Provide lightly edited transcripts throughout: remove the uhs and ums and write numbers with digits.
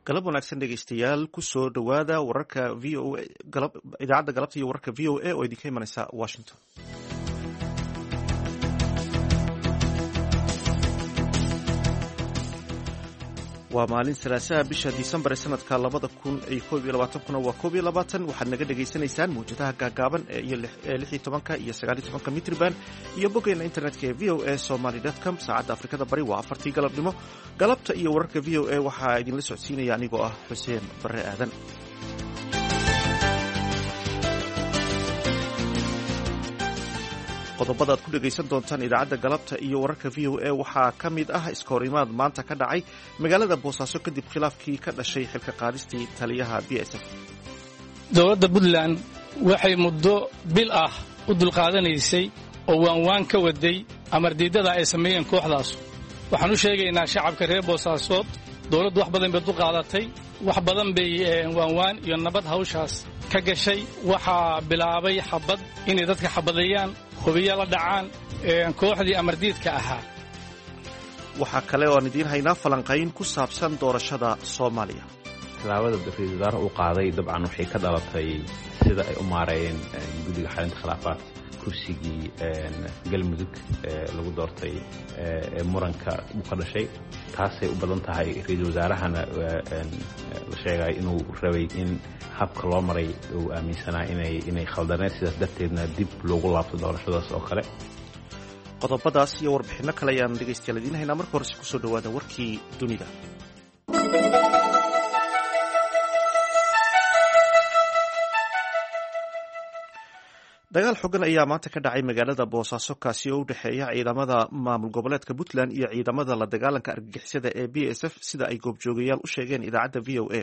Galab wanaagsan, dhegeystayaal. Kusoo dhowaada wararka VOA, idaacadda galabta iyo wararka VOA oo idinka imanaysa Washington. Waa maalin Salaasaha, bisha Disembar ee sanadka 2021-kuna waa 21. Waxaad naga dhegaysanaysaan mawjadaha gaagaaban ee 16 iyo 19 mitriban iyo boggeena internetka ee voasomali.com. Saacadda Afrikada Bari waa 4-tii galabnimo. Galabta iyo wararka VOA waxaa idinla socodsiinaya anigoo ah Xuseen Barre Aadan. Qodobada aad ku dhegaysan doontaan idaacadda galabta iyo wararka VOA waxaa ka mid ah iskahorimaad maanta ka dhacay magaalada Boosaaso kadib khilaafkii ka dhashay xilka qaadistii taliyaha BSF. Dowladda Puntland waxay muddo bil ah u dulqaadanaysay oo waanwaan ka waday amardiiddada ay sameeyeen kooxdaas. Waxaan u sheegaynaa shacabka reer Boosaasood, dowladdu wax badan bay dulqaadatay, wax badan bay waanwaan iyo nabad hawshaas ka gashay. Waxaa bilaabay xabad, inay dadka xabadeeyaan, hubiya la dhacaan kooxdii amardiidka ahaa. Waxaa kale oo aan idiin haynaa falanqayn ku saabsan doorashada Soomaaliya. Tallaabada ra-iisul wasaare uu qaaday dabcan waxay ka dhalatay sida ay u maareeyeen guddiga xalinta khilaafaadka kursigii Galmudug lagu doortay ee muranka uu ka dhashay. Taasay u badan tahay. Ra-iisul wasaarahana la sheegay inuu rabay in habka loo maray uu aaminsanaa inay khaldaneed, sidaas darteedna dib loogu laabto doorashadaas oo kale. Qodobadaas iyo warbixinno kale ayaan dhegaystayaal idiin haynaa. Marka horese kusoo dhowaada warkii dunida. Dagaal xogan ayaa maanta ka dhacay magaalada Boosaaso, kaasi oo u dhexeeya ciidamada maamul goboleedka Puntland iyo ciidamada la dagaalanka argagixisada ee BSF, sida ay goobjoogayaal u sheegeen idaacadda VOA.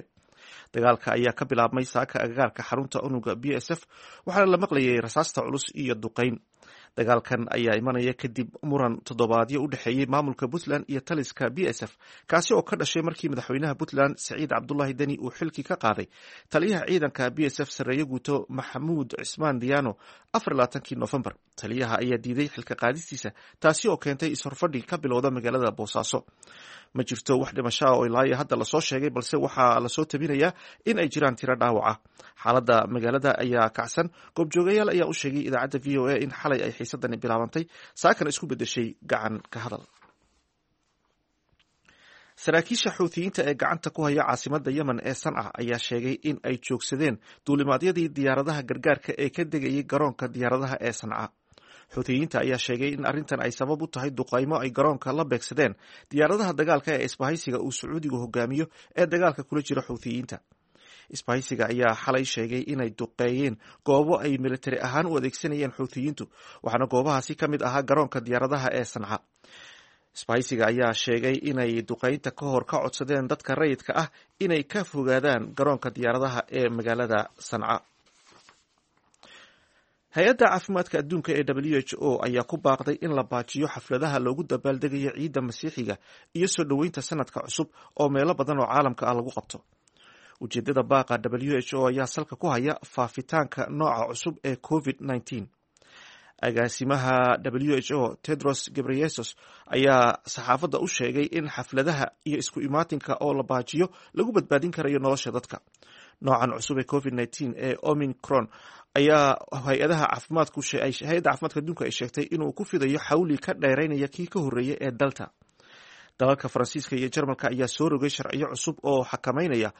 Dagaalka ayaa ka bilaabmay saaka agagaarka xarunta unuga BSF, waxaana la maqlayay rasaasta culus iyo duqeyn. Dagaalkan ayaa imanaya kadib muran toddobaadyo u dhexeeyey maamulka Puntland iyo taliska BSF, kaasi oo ka dhashay markii madaxweynaha Puntland Saciid Cabdulaahi Deni uu xilkii ka qaaday taliyaha ciidanka BSF, sarreeye guuto Maxamuud Cismaan Diyaano, 24-kii Nofembar. Taliyaha ayaa diiday xilka qaadistiisa, taasi oo keentay is-horfadhi ka bilowda magaalada Boosaaso. Ma jirto wax dhimasho ah oo ilaayo hadda lasoo sheegay, balse waxaa lasoo tabinayaa in ay jiraan tiro dhaawaca. Xaaladda magaalada ayaa kacsan. Goobjoogayaal ayaa u sheegay idaacadda VOA in xalay ay xiisadani bilaabantay, saakana isku bedeshay gacan ka hadal. Saraakiisha Xuutiyiinta ee gacanta ku haya caasimada Yemen ee Sanca ayaa sheegay in ay joogsadeen duulimaadyadii diyaaradaha gargaarka ee ka degayay garoonka diyaaradaha ee Sanca. Xuutiyiinta ayaa sheegay in arrintan ay sabab u tahay duqaymo ay garoonka la beegsadeen diyaaradaha dagaalka ee isbahaysiga uu Sacuudigu hogaamiyo ee dagaalka kula jira Xuutiyiinta. Isbahaysiga ayaa xalay sheegay inay duqeeyeen goobo ay militari ahaan u adeegsanayeen Xuutiyiintu, waxaana goobahaasi ka mid ahaa garoonka diyaaradaha ee Sanca. Isbahaysiga ayaa sheegay inay duqeynta ka hor ka codsadeen dadka rayidka ah inay ka fogaadaan garoonka diyaaradaha ee magaalada Sanca. Hay-adda caafimaadka adduunka ee WHO ayaa ku baaqday in la baajiyo xafladaha loogu dabaaldegayo ciidda Masiixiga iyo soo dhoweynta sanadka cusub oo meelo badan oo caalamka ah lagu qabto. Ujeedada baaqa WHO ayaa salka ku haya faafitaanka nooca cusub ee COVID-19. Agaasimaha WHO Tedros Gebreyesus ayaa saxaafadda u sheegay in xafladaha iyo isku imaatinka oo la baajiyo lagu badbaadin karayo nolosha dadka. Noocan cusub ee COVID-19 ee Omicron ayaa hay-adaha caafimaadku hay-adda caafimaadka adduunka ay sheegtay inuu ku fidayo xawli ka dheeraynaya kii ka horreeyay ee Delta. Dalalka Faransiiska iyo Jarmalka ayaa soo rogay sharciyo cusub oo xakameynaya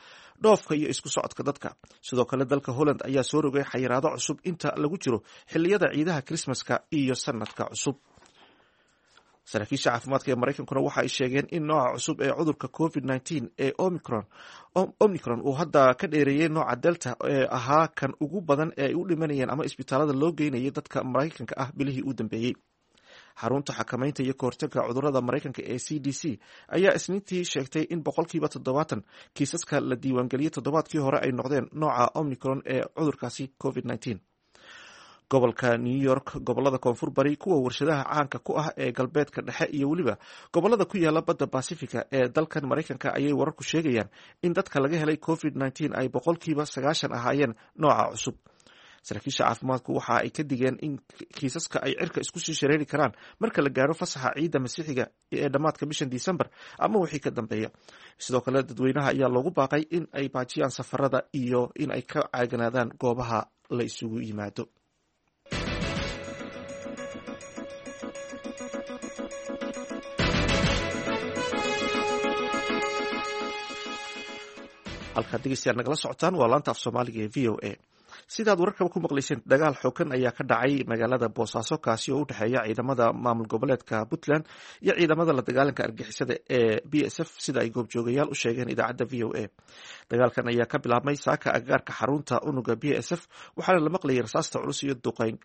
dhoofka iyo isku socodka dadka. Sidoo kale dalka Holland ayaa soo rogay xayiraado cusub inta lagu jiro xilliyada ciidaha Krismaska iyo sanadka cusub. Saraakiisha caafimaadka ee Maraykankuna waxa ay sheegeen in nooca cusub ee cudurka COVID-19 ee Omicron uu hadda ka dheereeyey nooca Delta ee ahaa kan ugu badan ee ay u dhimanayeen ama isbitaalada loo geynayay dadka Maraykanka ah bilihii u dambeeyey. Xarunta xakameynta iyo kahortagga cudurada Maraykanka ee CDC ayaa Isniintii sheegtay in 70% kiisaska la diiwaangeliyey toddobaadkii hore ay noqdeen nooca Omicron ee cudurkaasi COVID-19. Gobolka New York, gobolada koonfur bari, kuwa warshadaha caanka ku ah ee galbeedka dhexe iyo weliba gobolada ku yaala badda Basifiga ee dalkan Maraykanka ayay wararku sheegayaan in dadka laga helay COVID-19 ay 90% ahaayeen nooca cusub. Saraakiisha caafimaadku waxa ay ka digeen in kiisaska ay cirka isku sii shareeri karaan marka la gaaro fasaxa ciidda masiixiga ee dhammaadka bishan Disembar ama wixii ka dambeeya. Sidoo kale dadweynaha ayaa loogu baaqay in ay baajiyaan safarada iyo in ay ka caaganaadaan goobaha la isugu yimaado. Halkaad dhegeystayaal nagala socotaan waa laanta af soomaaliga ee VOA. Sidaad wararkaba ku maqlayseen, dagaal xoogan ayaa ka dhacay magaalada Boosaaso, kaasi oo u dhexeeya ciidamada maamul goboleedka Puntland iyo ciidamada la dagaalanka argixisada ee BSF, sida ay goobjoogayaal u sheegeen idaacadda VOA. Dagaalkan ayaa ka bilaabmay saaka agagaarka xarunta unuga BSF, waxaana la maqlayay rasaasta culus iyo duqeyn.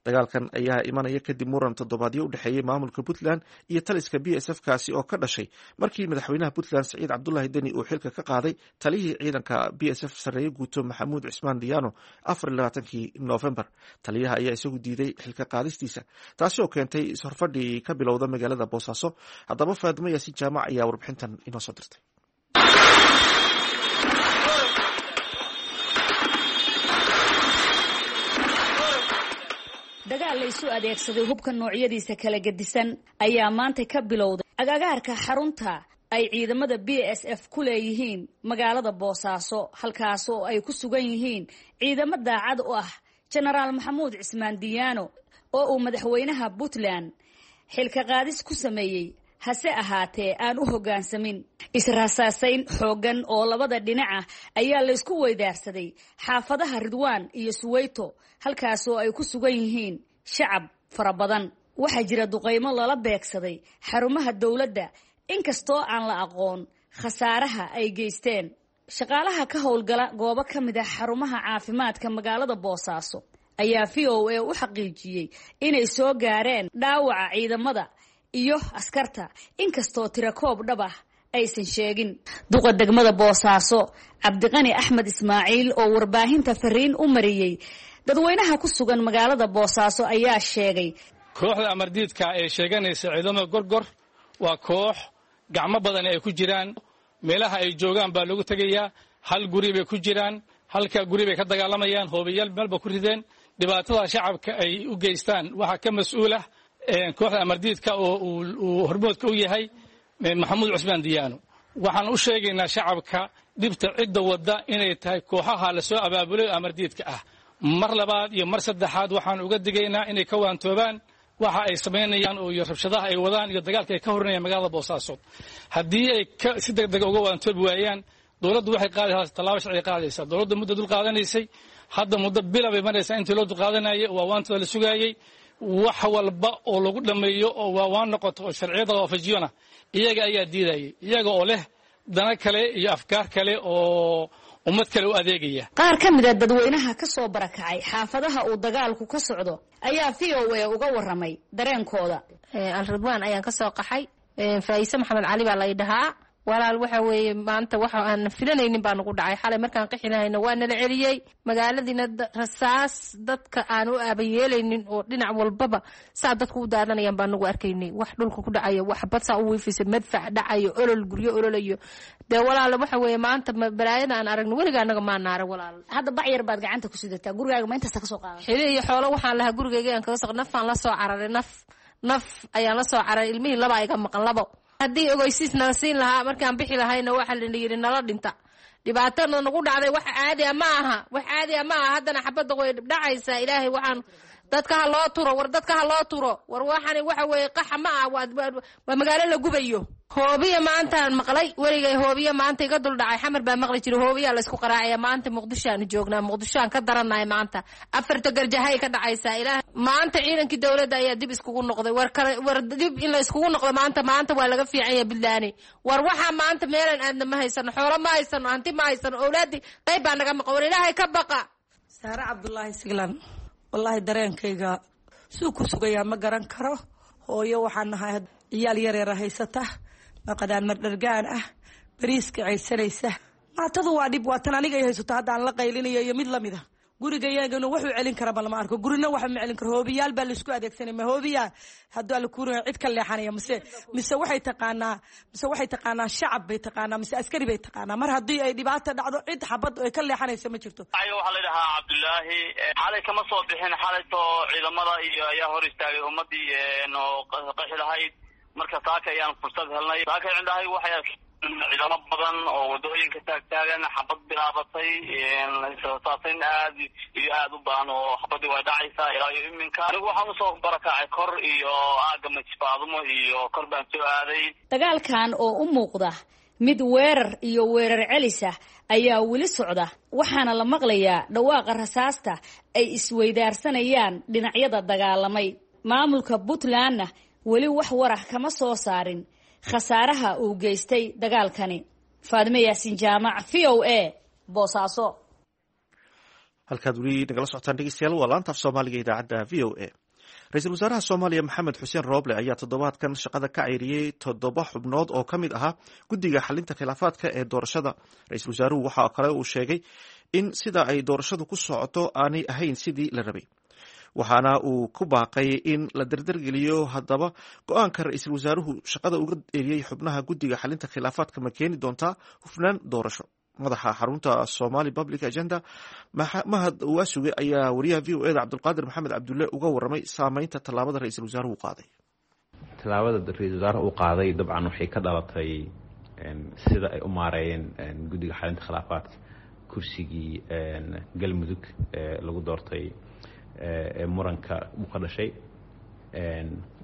Dagaalkan ayaa imanaya kadib muran toddobaadyo u dhexeeyey maamulka Puntland iyo taliska BSF, kaasi oo ka dhashay markii madaxweynaha Puntland Saciid Cabdulaahi Deni uu xilka ka qaaday taliyihii ciidanka BSF, sarreeye guuto Maxamuud Cismaan Diyaano, 24-kii Noofembar. Taliyaha ayaa isagu diiday xilka qaadistiisa, taasi oo keentay ishorfadhi ka bilowda magaalada Boosaaso. Haddaba Faadimo Yaasiin Jaamac ayaa warbixintan inoo soo dirtay. Dagaal la isu adeegsaday hubka noocyadiisa kala gedisan ayaa maanta ka bilowday agagaarka xarunta ay ciidamada BSF ku leeyihiin magaalada Boosaaso, halkaas oo ay ku sugan yihiin ciidamo daacad u ah Jenaraal Maxamuud Cismaan Diyaano oo uu madaxweynaha Puntland xilka qaadis ku sameeyey, hase ahaatee aan u hoggaansamin. Israasaasayn xooggan oo labada dhinac ah ayaa laysku weydaarsaday xaafadaha Ridwaan iyo Suweyto, halkaas oo ay ku sugan yihiin shacab fara badan. Waxaa jira duqaymo lala beegsaday xarumaha dowladda, inkastoo aan la aqoon khasaaraha ay geysteen. Shaqaalaha ka howlgala goobo ka mid ah xarumaha caafimaadka magaalada Boosaaso ayaa VOA u xaqiijiyey inay soo gaareen dhaawaca ciidamada iyo askarta, inkastoo tirakoob dhab ah aysan sheegin. Duqa degmada Boosaaso Cabdiqani Axmed Ismaaciil oo warbaahinta fariin u mariyey dadweynaha ku sugan magaalada Boosaaso ayaa sheegay: Kooxda amardiidka ee sheeganaysa ciidamada Gorgor waa koox gacmo badan ay ku jiraan. Meelaha ay joogaan baa loogu tegayaa. Hal guri bay ku jiraan, halka guri bay ka dagaalamayaan, hoobayaal meelba ku rideen. Dhibaatada shacabka ay u geystaan waxaa ka mas-uul ah kooxda amardiidka oo uu hormoodka u yahay Maxamuud Cusmaan Diyaano. Waxaan u sheegaynaa shacabka dhibta cidda wadda inay tahay kooxaha lasoo abaabulay oo amardiidka ah. Mar labaad iyo mar saddexaad waxaan uga digaynaa inay ka waantoobaan waxa ay samaynayaan oo iyo rabshadaha ay wadaan iyo dagaalka ay ka horinayaan magaalada Boosaaso. Haddii ay si degdega uga waantoobi waayaan, dowladdu waxay qaadaysaa tallaabo sharci qaadaysaa. Dowladdu muddo dul qaadanaysay, hadda muddo bila bay maraysaa intii loo dulqaadanayay, waa waantada la sugaayey. Wax walba oo lagu dhammeeyo oo waawaan noqoto oo sharciyada waafajiyona, iyaga ayaa diidayay, iyaga oo leh dana kale iyo afkaar kale oo ummad kale u adeegaya. Qaar ka mid a dadweynaha ka soo barakacay xaafadaha uu dagaalku ka socdo ayaa VOA uga warramay dareenkooda. Alridwaan ayaan kasoo qaxay. Faa'ise Maxamed Cali baa lay dhahaa. Walaal, waxa weeye maanta waxa aan filanaynin baa nagu dhacay. Xalay markaan qixi lahayna waa nala celiyey. Magaaladiina rasaas dadka aan u aabayeelaynin oo dhinac walbaba saa dadku u daadanayaan baan nagu arkaynay. Wax dhulka ku dhacayo, wax bad saa u wiifaysa, madfac dhacayo, olol, guryo ololayo. Dee walaal, waxa weeye maanta balaayada aan aragno weliga anaga maa naara, walaal. Hadda bac yar baad gacanta ku sidataa, gurigaaga ma intaasa kasoo qaadan? Xili iyo xoolo waxaan lahaa gurigayga aan kaga soo, nafaan la soo cararay, naf naf ayaan la soo cararay. Ilmihii laba iga maqan, labo. Haddii ogeysiis nala siin lahaa markaan bixi lahayna, waxaa lana yidhi nala dhinta. Dhibaatana nagu dhacday wax caadi a ma aha, wax caadi a ma aha. Haddana xabadda way dhacaysaa. Ilaahay waxaan dadka ha loo turo, war dadka ha loo turo, war waxani waxa weeye qaxa ma ah, waa magaalo la gubayo. Hoobiya maantaan maqlay, weligay hoobiya maanta iga dul dhacay. Xamar baa maqli jiray hoobiyaa laysku qaraacaya. Maanta Muqdishoaanu joognaa, Muqdishoaan ka daranahay. Maanta afarta garjahay ka dhacaysaa. Ilaah, maanta ciidankii dowladda ayaa dib iskugu noqday. War kale, war dib in la iskugu noqdo maanta, maanta waa laga fiican yahay Buntlaani. War waxaa maanta meelaan aadna ma haysano, xoolo ma haysano, hanti ma haysano, owlaadii qayb baa naga maqan. War Ilaahay ka baqa. Saare Cabdulaahi Siglan. Wallaahi dareenkayga suu ku sugayaa ma garan karo. Hooyo waxaan nahay ciyaal yareera haysata, maqadaan mardhargaan ah, bariiska caysanaysa. Maatadu waa dhib, waa tan aniga ay haysato hadda aan la qaylinayo iyo mid lamid a. Gurigayagana wuxuu celin karaba lama arko, gurina waxa ma celin karo. Hoobiyaal baa laisku adeegsanay. Ma hoobiyaa hadduu alla kuurin cid ka leexanaya? Mise waxay taqaanaa, mise waxay taqaanaa shacab bay taqaanaa, mise askari bay taqaanaa? Mar haddii ay dhibaata dhacdo, cid xabad ay ka leexanaysa ma jirto. Waxaa la dhahaa Cabdullaahi. Xalay kama soo bixin. Xalayto ciidamada iyo ayaa hor istaagay ummadii oo qaxi lahayd. Marka saaka ayaan fursad helnay. Saaka cindahay waxay arkeen ciidamo badan oo wadooyinka taagtaagan, xabad bilaabatay, saasayn aad iyo aad u badan oo xabadii way dhacaysaa ilaa iyo iminka. Anigu waxaan usoo barakacay kor iyo aagga Majfaadumo iyo kor baan soo aaday. Dagaalkan oo u muuqda mid weerar iyo weerar celis ah ayaa weli socda, waxaana la maqlayaa dhawaaqa rasaasta ay isweydaarsanayaan dhinacyada dagaalamay. Maamulka Puntlandna weli wax warah kama soo saarin khasaaraha uu geystay dagaalkani. Faadime Yaasiin Jaamac, VOA, Boosaaso. Halkaad weli nagala socotaan, dhegeystayaal, waa laanta af Soomaaliga, idaacadda VOA. Ra-iisul wasaaraha Soomaaliya Maxamed Xuseen Rooble ayaa toddobaadkan shaqada ka ceyriyey toddoba xubnood oo ka mid ahaa guddiga xalinta khilaafaadka ee doorashada. Ra-iisul wasaaruhu waxa kale uu sheegay in sida ay doorashadu ku socoto aanay ahayn sidii la rabay, waxaana uu ku baaqay in la dardargeliyo. Haddaba, go-aanka ra-iisul wasaaruhu shaqada uga eriyey xubnaha guddiga xalinta khilaafaadka ma keeni doontaa hufnaan doorasho? Madaxa xarunta Somali Public Agenda, Mahad Waasuge, ayaa wariyaha VOA da Cabdulqaadir Maxamed Cabdulle uga waramay saameynta tallaabada ra-iisul wasaaruhu qaaday. Tallaabada ra-iisul wasaaraha uu qaaday dabcan waxay ka dhalatay sida ay u maareeyeen guddiga xalinta khilaafaadka kursigii Galmudug lagu doortay ee muranka uu ka dhashay.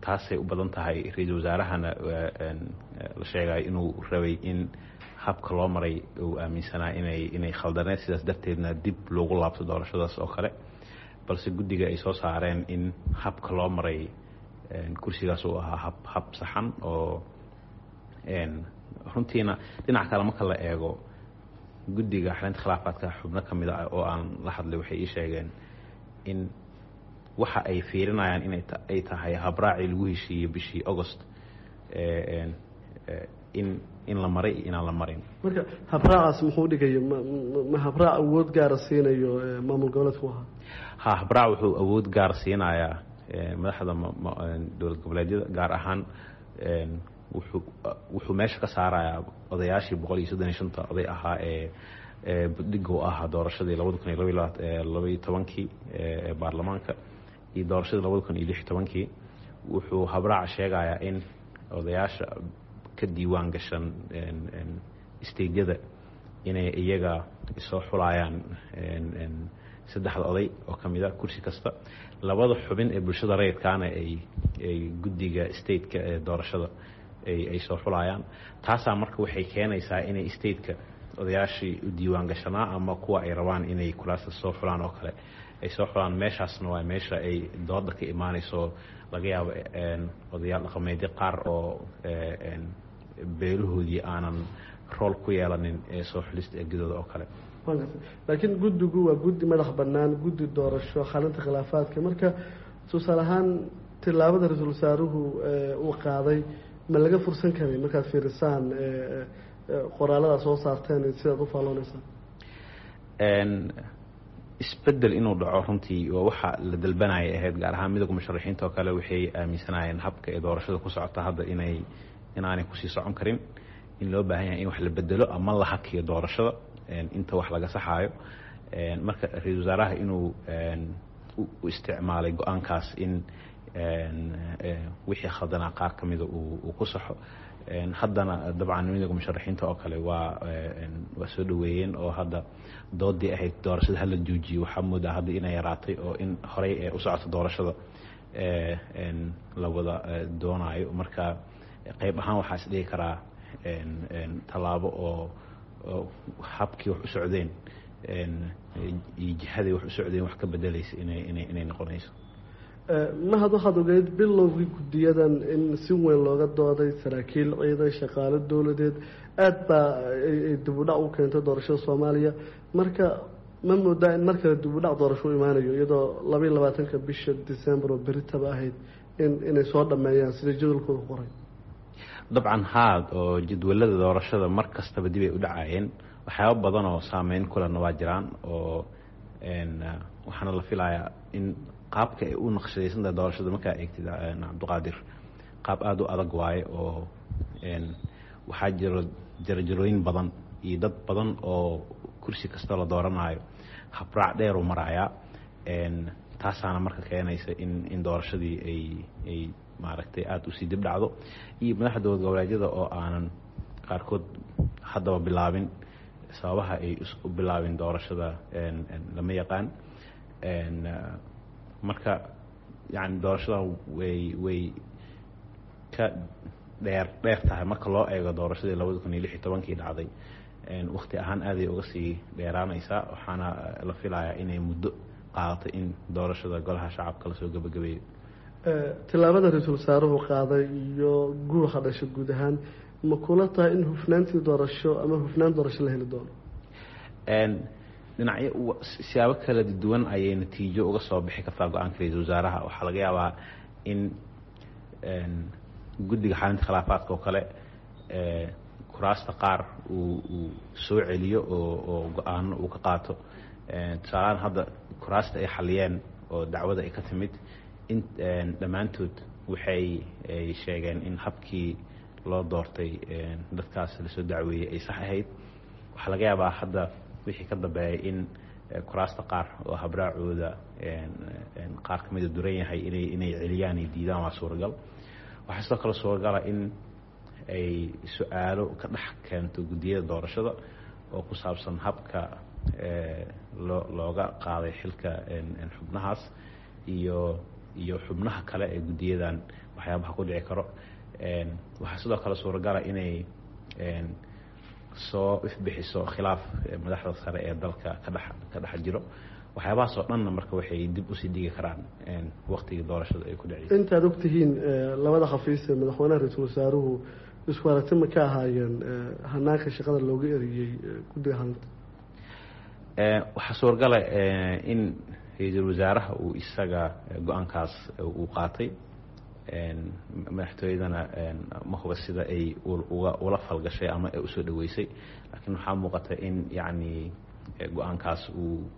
Taasay u badan tahay. Ra-iisul wasaarahana la sheegayo inuu rabay in habka loo maray uu aaminsanaa inay khaldaneed, sidaas darteedna dib loogu laabto doorashadaas oo kale, balse guddiga ay soo saareen in habka loo maray kursigaas uu ahaa hab saxan. Oo runtiina dhinac kale marka la eego, guddiga xalinta khilaafaadka xubno ka mid ah oo aan la hadlay waxay ii sheegeen in waxa ay fiirinayaan inay ay tahay habraacii lagu heshiiyey bishii August in la maray iyo inaan la marin. Marka habraacaas muxuu dhigayo? Ma habraac awood gaara siinayo maamul goboleedku ahaa? Ha, habraac wuxuu awood gaar siinayaa madaxda dowlad goboleedyada, gaar ahaan wuxuu meesha ka saarayaa odayaashii 135-ta oday ahaa ee budhiga u ahaa doorashadii 2012-kii ee baarlamaanka iyo doorashadii 2016-kii. Wuxuu habraaca sheegayaa in odayaasha ka diiwaan gashan stateyada inay iyaga soo xulayaan saddexda oday oo ka mid a kursi kasta, labada xubin ee bulshada rayidkaana ay guddiga stateka ee doorashada ay soo xulayaan. Taasaa marka waxay keenaysaa inay stateka odayaashii u diiwaan gashanaa ama kuwa ay rabaan inay kuraasta soo xulaan oo kale ay soo xulaan. Meeshaasna waa meesha ay dooda ka imaanayso. Laga yaabo odayaal dhaqameedyo qaar oo beelahoodii aanan rool ku yeelanin ee soo xulista ergadooda oo kale. Laakiin guddigu waa guddi madax bannaan, guddi doorasho xalinta khilaafaadka. Marka tusaale ahaan tillaabada ra-iisul wasaaruhu uu qaaday ma laga fursan karay markaad fiirisaan qoraalada soo saarteen, sidaad u faallooneysaan? Isbedel inuu dhaco runtii waa waxa la dalbanaya ahayd, gaar ahaan midowga musharaxiinta oo kale waxay aaminsanayeen habka ee doorashada ku socota hadda inaanay kusii socon karin, in loo baahan yahay in wax la bedelo ama la hakiyo doorashada inta wax laga saxaayo. Marka ra-iisul wasaaraha inuu u isticmaalay go-aankaas in wixii khaldanaa qaar ka mida uu ku saxo. Haddana dabcan midowga musharaxiinta oo kale waa soo dhaweeyeen, oo hadda doodii ahayd doorashada hala joojiyo waxaa moodaa hadda inay yaraatay, oo in horey ee u socoto doorashada la wada doonaayo. Marka qayb ahaan waxaa is dhigi karaa tallaabo oo habkii wax u socdeen iyo jihaday wax u socdeen wax ka bedelaysa inay noqonayso. Mahad, waxaad ogeyd bilowgii guddiyadan in si weyn looga dooday, saraakiil ciidan, shaqaalo dowladeed, aada baa ay dib u dhac u keentay doorashada Soomaaliya. Marka ma moodaa in mar kale dib u dhac doorasho u imaanayo, iyadoo 22-ka bisha December oo beritaba ahayd inay soo dhameeyaan sida jadwalkooda ku qoray? Dabcan haad, oo jadwalada doorashada mar kastaba dib ay u dhacayeen. Waxyaaba badan oo saameyn kulena waa jiraan oo Waxaana la filayaa in qaabka ay u naqshadaysan tahay doorashada markaa eegtid, Cabdiqaadir, qaab aada u adag waaye oo waxaa jiro jarajarooyin badan iyo dad badan oo kursi kasta la dooranayo habraac dheeruu marayaa. Taasaana marka keenaysa in doorashadii ay maaragtay aada usii dib dhacdo, iyo madaxda dowlad goboleedyada oo aanan qaarkood haddaba bilaabin. Sababaha ay u bilaabin doorashada lama yaqaan. Marka yani doorashadan way ka dheer dheer tahay marka loo eego doorashadii 2016-kii dhacday. Wakti ahaan aaday uga sii dheeraanaysaa, waxaana la filayaa inay muddo qaadato in doorashada golaha shacabka lasoo gabagabeeyo. Tillaabada ra-iisul wasaaruhu qaaday iyo guuxa dhasha guud ahaan, ma kula tahay in hufnaantii doorasho ama hufnaan doorasho la heli doono? Dhinacyo siyaabo kala duwan ayay natiijo uga soo bixi kartaa go-aanka ra-iisul wasaaraha. Waxaa laga yaabaa in guddiga xalinta khilaafaadka oo kale kuraasta qaar uu soo celiyo oo go-aano uu ka qaato. Tusaalahaan hadda kuraasta ay xaliyeen oo dacwada ay ka timid in dhammaantood waxay ay sheegeen in habkii loo doortay dadkaas lasoo dacweeyey ay sax ahayd. Waxaa laga yaabaa hadda wixii ka dambeeyay in kuraasta qaar oo habraacooda qaar ka mida duran yahay inay celiyaan ay diidaan, waa suuragal. Waxaa sidoo kale suuragala in ay su-aalo ka dhex keento guddiyada doorashada oo ku saabsan habka looga qaaday xilka xubnahaas iyo xubnaha kale ee guddiyadan waxyaabaha ku dhici karo. Waxaa sidoo kale suuragala inay soo ifbixiso khilaaf madaxda sare ee dalka ka dhex jiro. Waxyaabahaas oo dhanna marka waxay dib usii dhigi karaan waktigii doorashada ay ku dhaceysa. Intaad ogtihiin, labada xafiis ee madaxweynaha, ra-iisul wasaaruhu isku aragti ma ka ahaayeen hanaanka shaqada looga eriyey guddiga xalinta? Waxaa suuragala in ra-iisul wasaaraha uu isaga go-aankaas uu qaatay, madaxtooyadana ma huba sida ay uga ula falgashay ama ay usoo dhaweysay, laakiin waxaa muuqata in yacni go-aankaas uu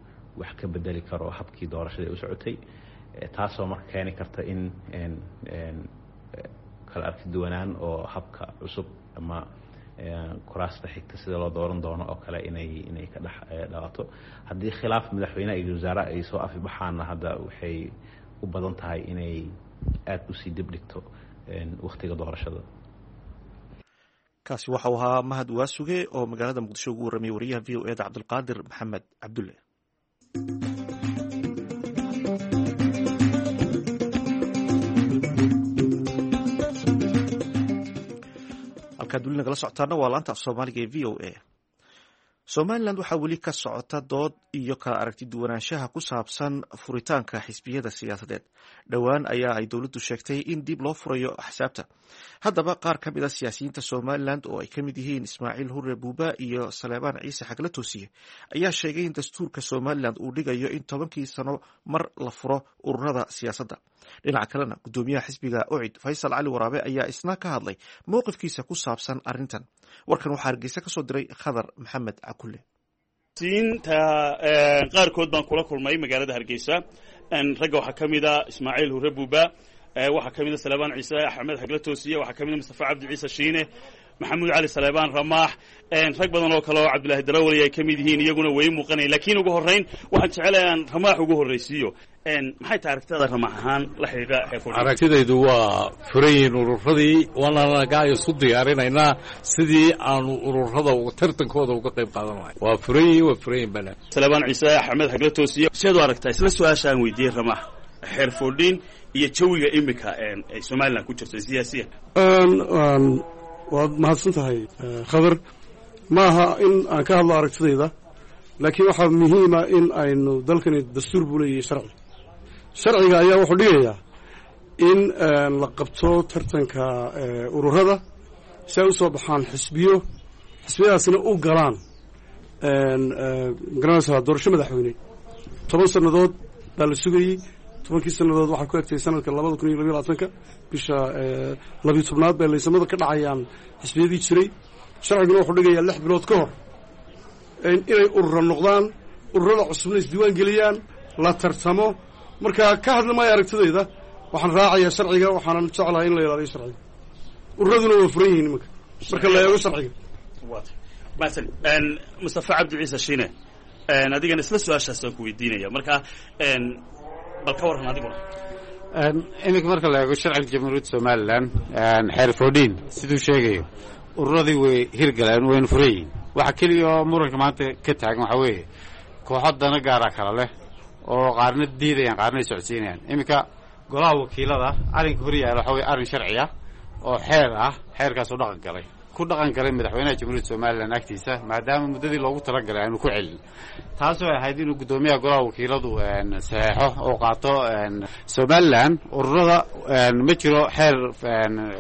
wax ka bedeli karo habkii doorashada ay u socotay, taasoo marka keeni karta in kala arki duwanaan oo habka cusub ama kuraasta xigta sida loo dooran doono oo kale inay ka dhex dhalato. Haddii khilaaf madaxweyneha iyo wasaare ay soo afibaxaanna, hadda waxay u badan tahay inay aada usii dib dhigto wakhtiga doorashada. Kaasi waxau ahaa Mahad Waasuge oo magaalada Muqdisho ugu warramiyay wariyaha VOA da Cabdulqaadir Maxamed Cabdulle. Halkaad weli nagala socotaana waa laanta af Soomaaliga ee VOA. Somalilan waxaa weli ka socota dood iyo kala aragti duwanaanshaha ku saabsan furitaanka xisbiyada siyaasadeed. Dhowaan ayaa ay dowladdu sheegtay in dib loo furayo axsaabta. Haddaba qaar ka mid a siyaasiyiinta Somalilan oo ay ka mid yihiin Ismaaciil Hure Buuba iyo Saleebaan Ciise Xagla Toosiye ayaa sheegay in dastuurka Somalilan uu dhigayo in 10-kii sano mar la furo ururada siyaasadda. Dhinaca kalena, gudoomiyaha xisbiga UCID Faysal Cali Waraabe ayaa isna ka hadlay mowqifkiisa ku saabsan arrintan. Warkan waxaa Hargeysa kasoo diray Khadar Maxamed Cakulle. Siinta qaarkood baan kula kulmay magaalada Hargeysa. Ragga waxaa ka mid a Ismaaciil Hure Buuba, waxaa ka mid a Saleebaan Ciise Axmed Xagla Toosiye, waxaa ka mid a Mustafa Cabdi Ciise Shiine, Maxamuud Cali Saleebaan Ramaax, rag badan oo kale oo Cabdullaahi Darawali ay ka mid yihiin, iyaguna way muuqanayan. Laakiin ugu horrayn waxaan jecelahay aan Ramaax ugu horraysiiyo. Maxay tahay aragtida Ramaax ahaan la xidhiidha? Aragtidaydu waa furan yihiin ururadii, waana nagaa isu diyaarinaynaa sidii aanu ururada tartankooda uga qayb qaadan lahay. Waa furan yihiin, waa furan yihin bana. Saleebaan Ciise Axmed Xagla Toosiye, sideed u aragtaa isla su-aasha aan weydiiyey Ramaax, xeer 14 iyo jawiga imika ay Somaliland ku jirto siyaasiya? Waad mahadsan tahay, Khadar. Ma aha in aan ka hadlo aragtidayda, laakiin waxaa muhiima in aynu dalkani dastuur buu leeyahay, sharci. Sharciga ayaa wuxuu dhigayaa in la qabto tartanka ururada si ay u soo baxaan xisbiyo, xisbiyadaasina u galaan, magaranaysaa, doorasho madaxweyne. 10 sannadood baa la sugayey. 10-kii sannadood waxaa ku egtay sanadka 2022-ka, bisha 12aad bay laysamada ka dhacayaan xisbiyadii jiray. Sharciguna wuxuu dhigayaa 6 bilood ka hor inay urura noqdaan, Ururada cusubna isdiiwaan geliyaan, la tartamo. Marka ka hadla maayo aragtidayda, waxaan raacayaa sharciga, waxaanan jeclahay in la ilaaliyo sharciga. Ururaduna waa furan yihiin imanka marka la eego sharciga. Masan Mustafa Cabdi Ciise Shiine, adigana isla su-aashaasaan ku weydiinaya. Marka bal ka warran adiguna. Iminka marka la eego sharciga Jamhuuriyadda Somalilan, xeer 14 siduu sheegayo, ururadii way hirgaleen, wayna furan yihiin. Waxa keliya oo muranka maanta ka taagan waxaa weeye kooxo dana gaara kala leh oo qaarna diidayaan, qaarna ay socodsiinayaan. Iminka golaha wakiilada arrinka hor yaalla waxa weye arrin sharci ah oo xeer ah, xeerkaasoo dhaqan galay, ku dhaqan galay madaxweynaha Jamhuuriyadda Somalilan agtiisa, maadaama muddadii loogu talagalay aanu ku celin, taasoo ahayd inuu guddoomiyaha golaha wakiiladu saxeexo oo qaato. Somalilan ururada ma jiro xeer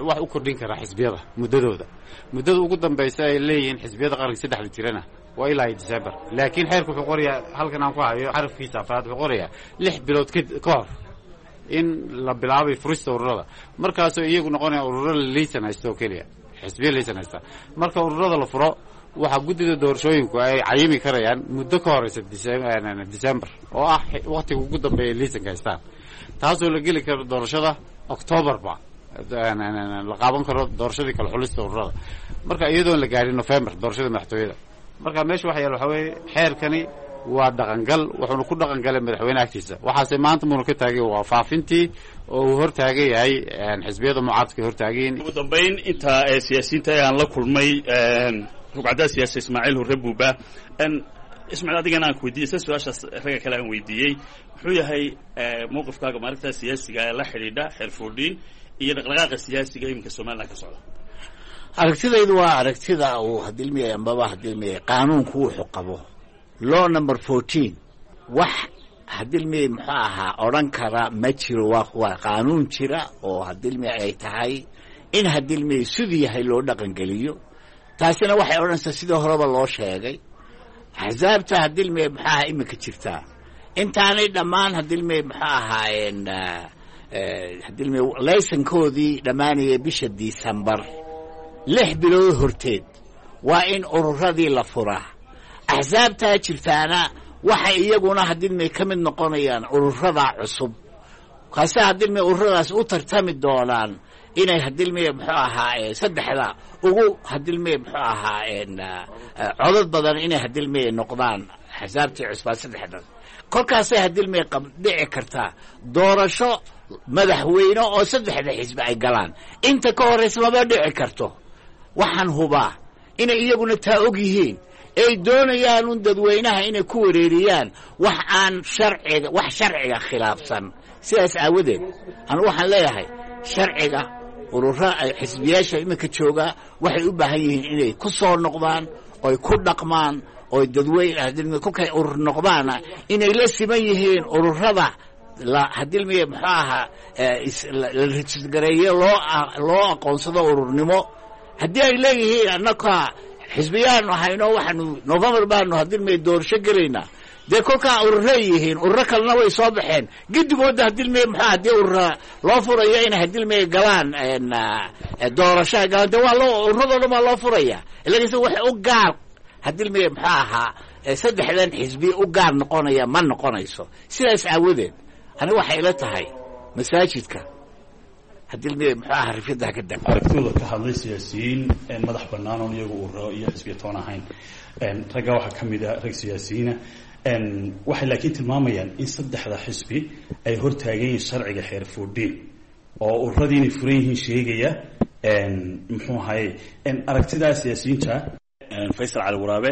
wax u kordhin kara xisbiyada muddadooda. Muddada ugu dambaysa ay leeyihiin xisbiyada qaranka saddexda jirana waa ilaa iyo December, laakiin xeerku wuxuu qorayaa, halkan aan ku hayo xarafkiisa afraad, wuxuu qorayaa 6 bilood ka hor in la bilaabay furista ururada, markaasoo iyagu noqonaya ururo liisan haysta oo keliya, xisbiya liisan haysta. Marka ururada la furo, waxaa guddida doorashooyinku ay cayimi karayaan muddo ka horeysa December oo ah waktiga ugu dambeeya liisanka haystaan, taasoo la geli karo doorashada Octoberba la qaaban karo doorashadii kala xulista ururada, marka iyadoon la gaarin November doorashada madaxtooyada. Marka meesha waxa yaal waxaa weeye xeerkani waa dhaqangal, wuxuuna ku dhaqan galay madaxweyne agtiisa. Waxaase maanta muuna ka taagay waa faafintii oo uu hor taagan yahay xisbiyada mucaaradka hor taagan. Ugu dambayn, inta siyaasiyiinta aan la kulmay, rugcaddaa siyaasi Ismaaciil Hurre Buuba. Ismaaciil, adigana aan ku weydiiyey isla su-aashaas ragga kale aan weydiiyey: muxuu yahay mowqifkaaga maarinta siyaasiga ee la xidhiidha xeer 14 iyo dhaqdhaqaaqa siyaasiga iminka Somaliland ka socda? Aragtidaydu waa aragtida uu hadilmiyay ambaba hadilmiyay qaanuunku wuxuu qabo, law number 14. Wax hadilmiyay muxuu ahaa odhan kara ma jiro. Waa qaanuun jira oo hadilmiya ay tahay in hadilmiyay siduu yahay loo dhaqangeliyo. Taasina waxay odhanaysaa, sidii horeba loo sheegay, axsaabta hadilmiyay muxuu ahaa iminka jirtaa intaanay dhammaan hadilmiyay muxuu ahaayeen hadilmiyay laysankoodii dhammaanaya bisha December, 6 bilood horteed waa in ururadii la furaa. Axsaabtaa jirtaana waxay iyaguna hadilmay ka mid noqonayaan ururada cusub, kaase hadilmay ururadaas u tartami doonaan inay hadilmay muxuu ahaa saddexda ugu hadilmay muxuu ahaa codad badan inay hadilmay noqdaan axsaabtii cusbaa saddexdan. Kolkaasay hadilmay dhici kartaa doorasho madaxweyne oo saddexda xisbi ay galaan. Inta ka horraysa maba dhici karto. Waxaan hubaa inay iyaguna taa og yihiin, ay doonayaan un dadweynaha inay ku wareeriyaan wax aan sharciga, wax sharciga khilaafsan. Sidaas aawadeed anu waxaan leeyahay sharciga urura xisbiyaasha iminka joogaa waxay u baahan yihiin inay ku soo noqdaan oy ku dhaqmaan oy dadweyne kolkay urur noqdaana inay la siman yihiin ururada la hadilmiye muxuu ahaa la rejisgareeye, loo aqoonsado ururnimo. Haddii ay leeyihiin annaka xisbiyaanu hayno, waxaanu November baanu hadilmiye doorasho gelaynaa, dee kolkaa ururay yihiin, ururo kalena way soo baxeen gidigooda. Hadilmiye muxuu haddii urura loo furayo inay hadilmiye galaan doorasho ay galaan, dee waa loo ururadoo dhan baa loo furaya. Lakiinse waxay u gaar hadilmiye muxuu ahaa saddexdan xisbi u gaar noqonaya ma noqonayso. Sidaas aawadeed aniga waxay ila tahay masaajidka hadilmiye muxuu ahaa rifyadaha ka da Aragtidooda ka hadlay siyaasiyiin madax bannaan oon iyagu ururo iyo xisbiya toon ahayn, ragga waxaa ka mid a rag siyaasiyiina, waxay laakiin tilmaamayaan in saddexda xisbi ay hor taagan yihiin sharciga xeer 14 oo ururadii inay furan yihiin sheegaya. Muxuu ahaye aragtidaa siyaasiyiinta? Faysal Cali Waraabe,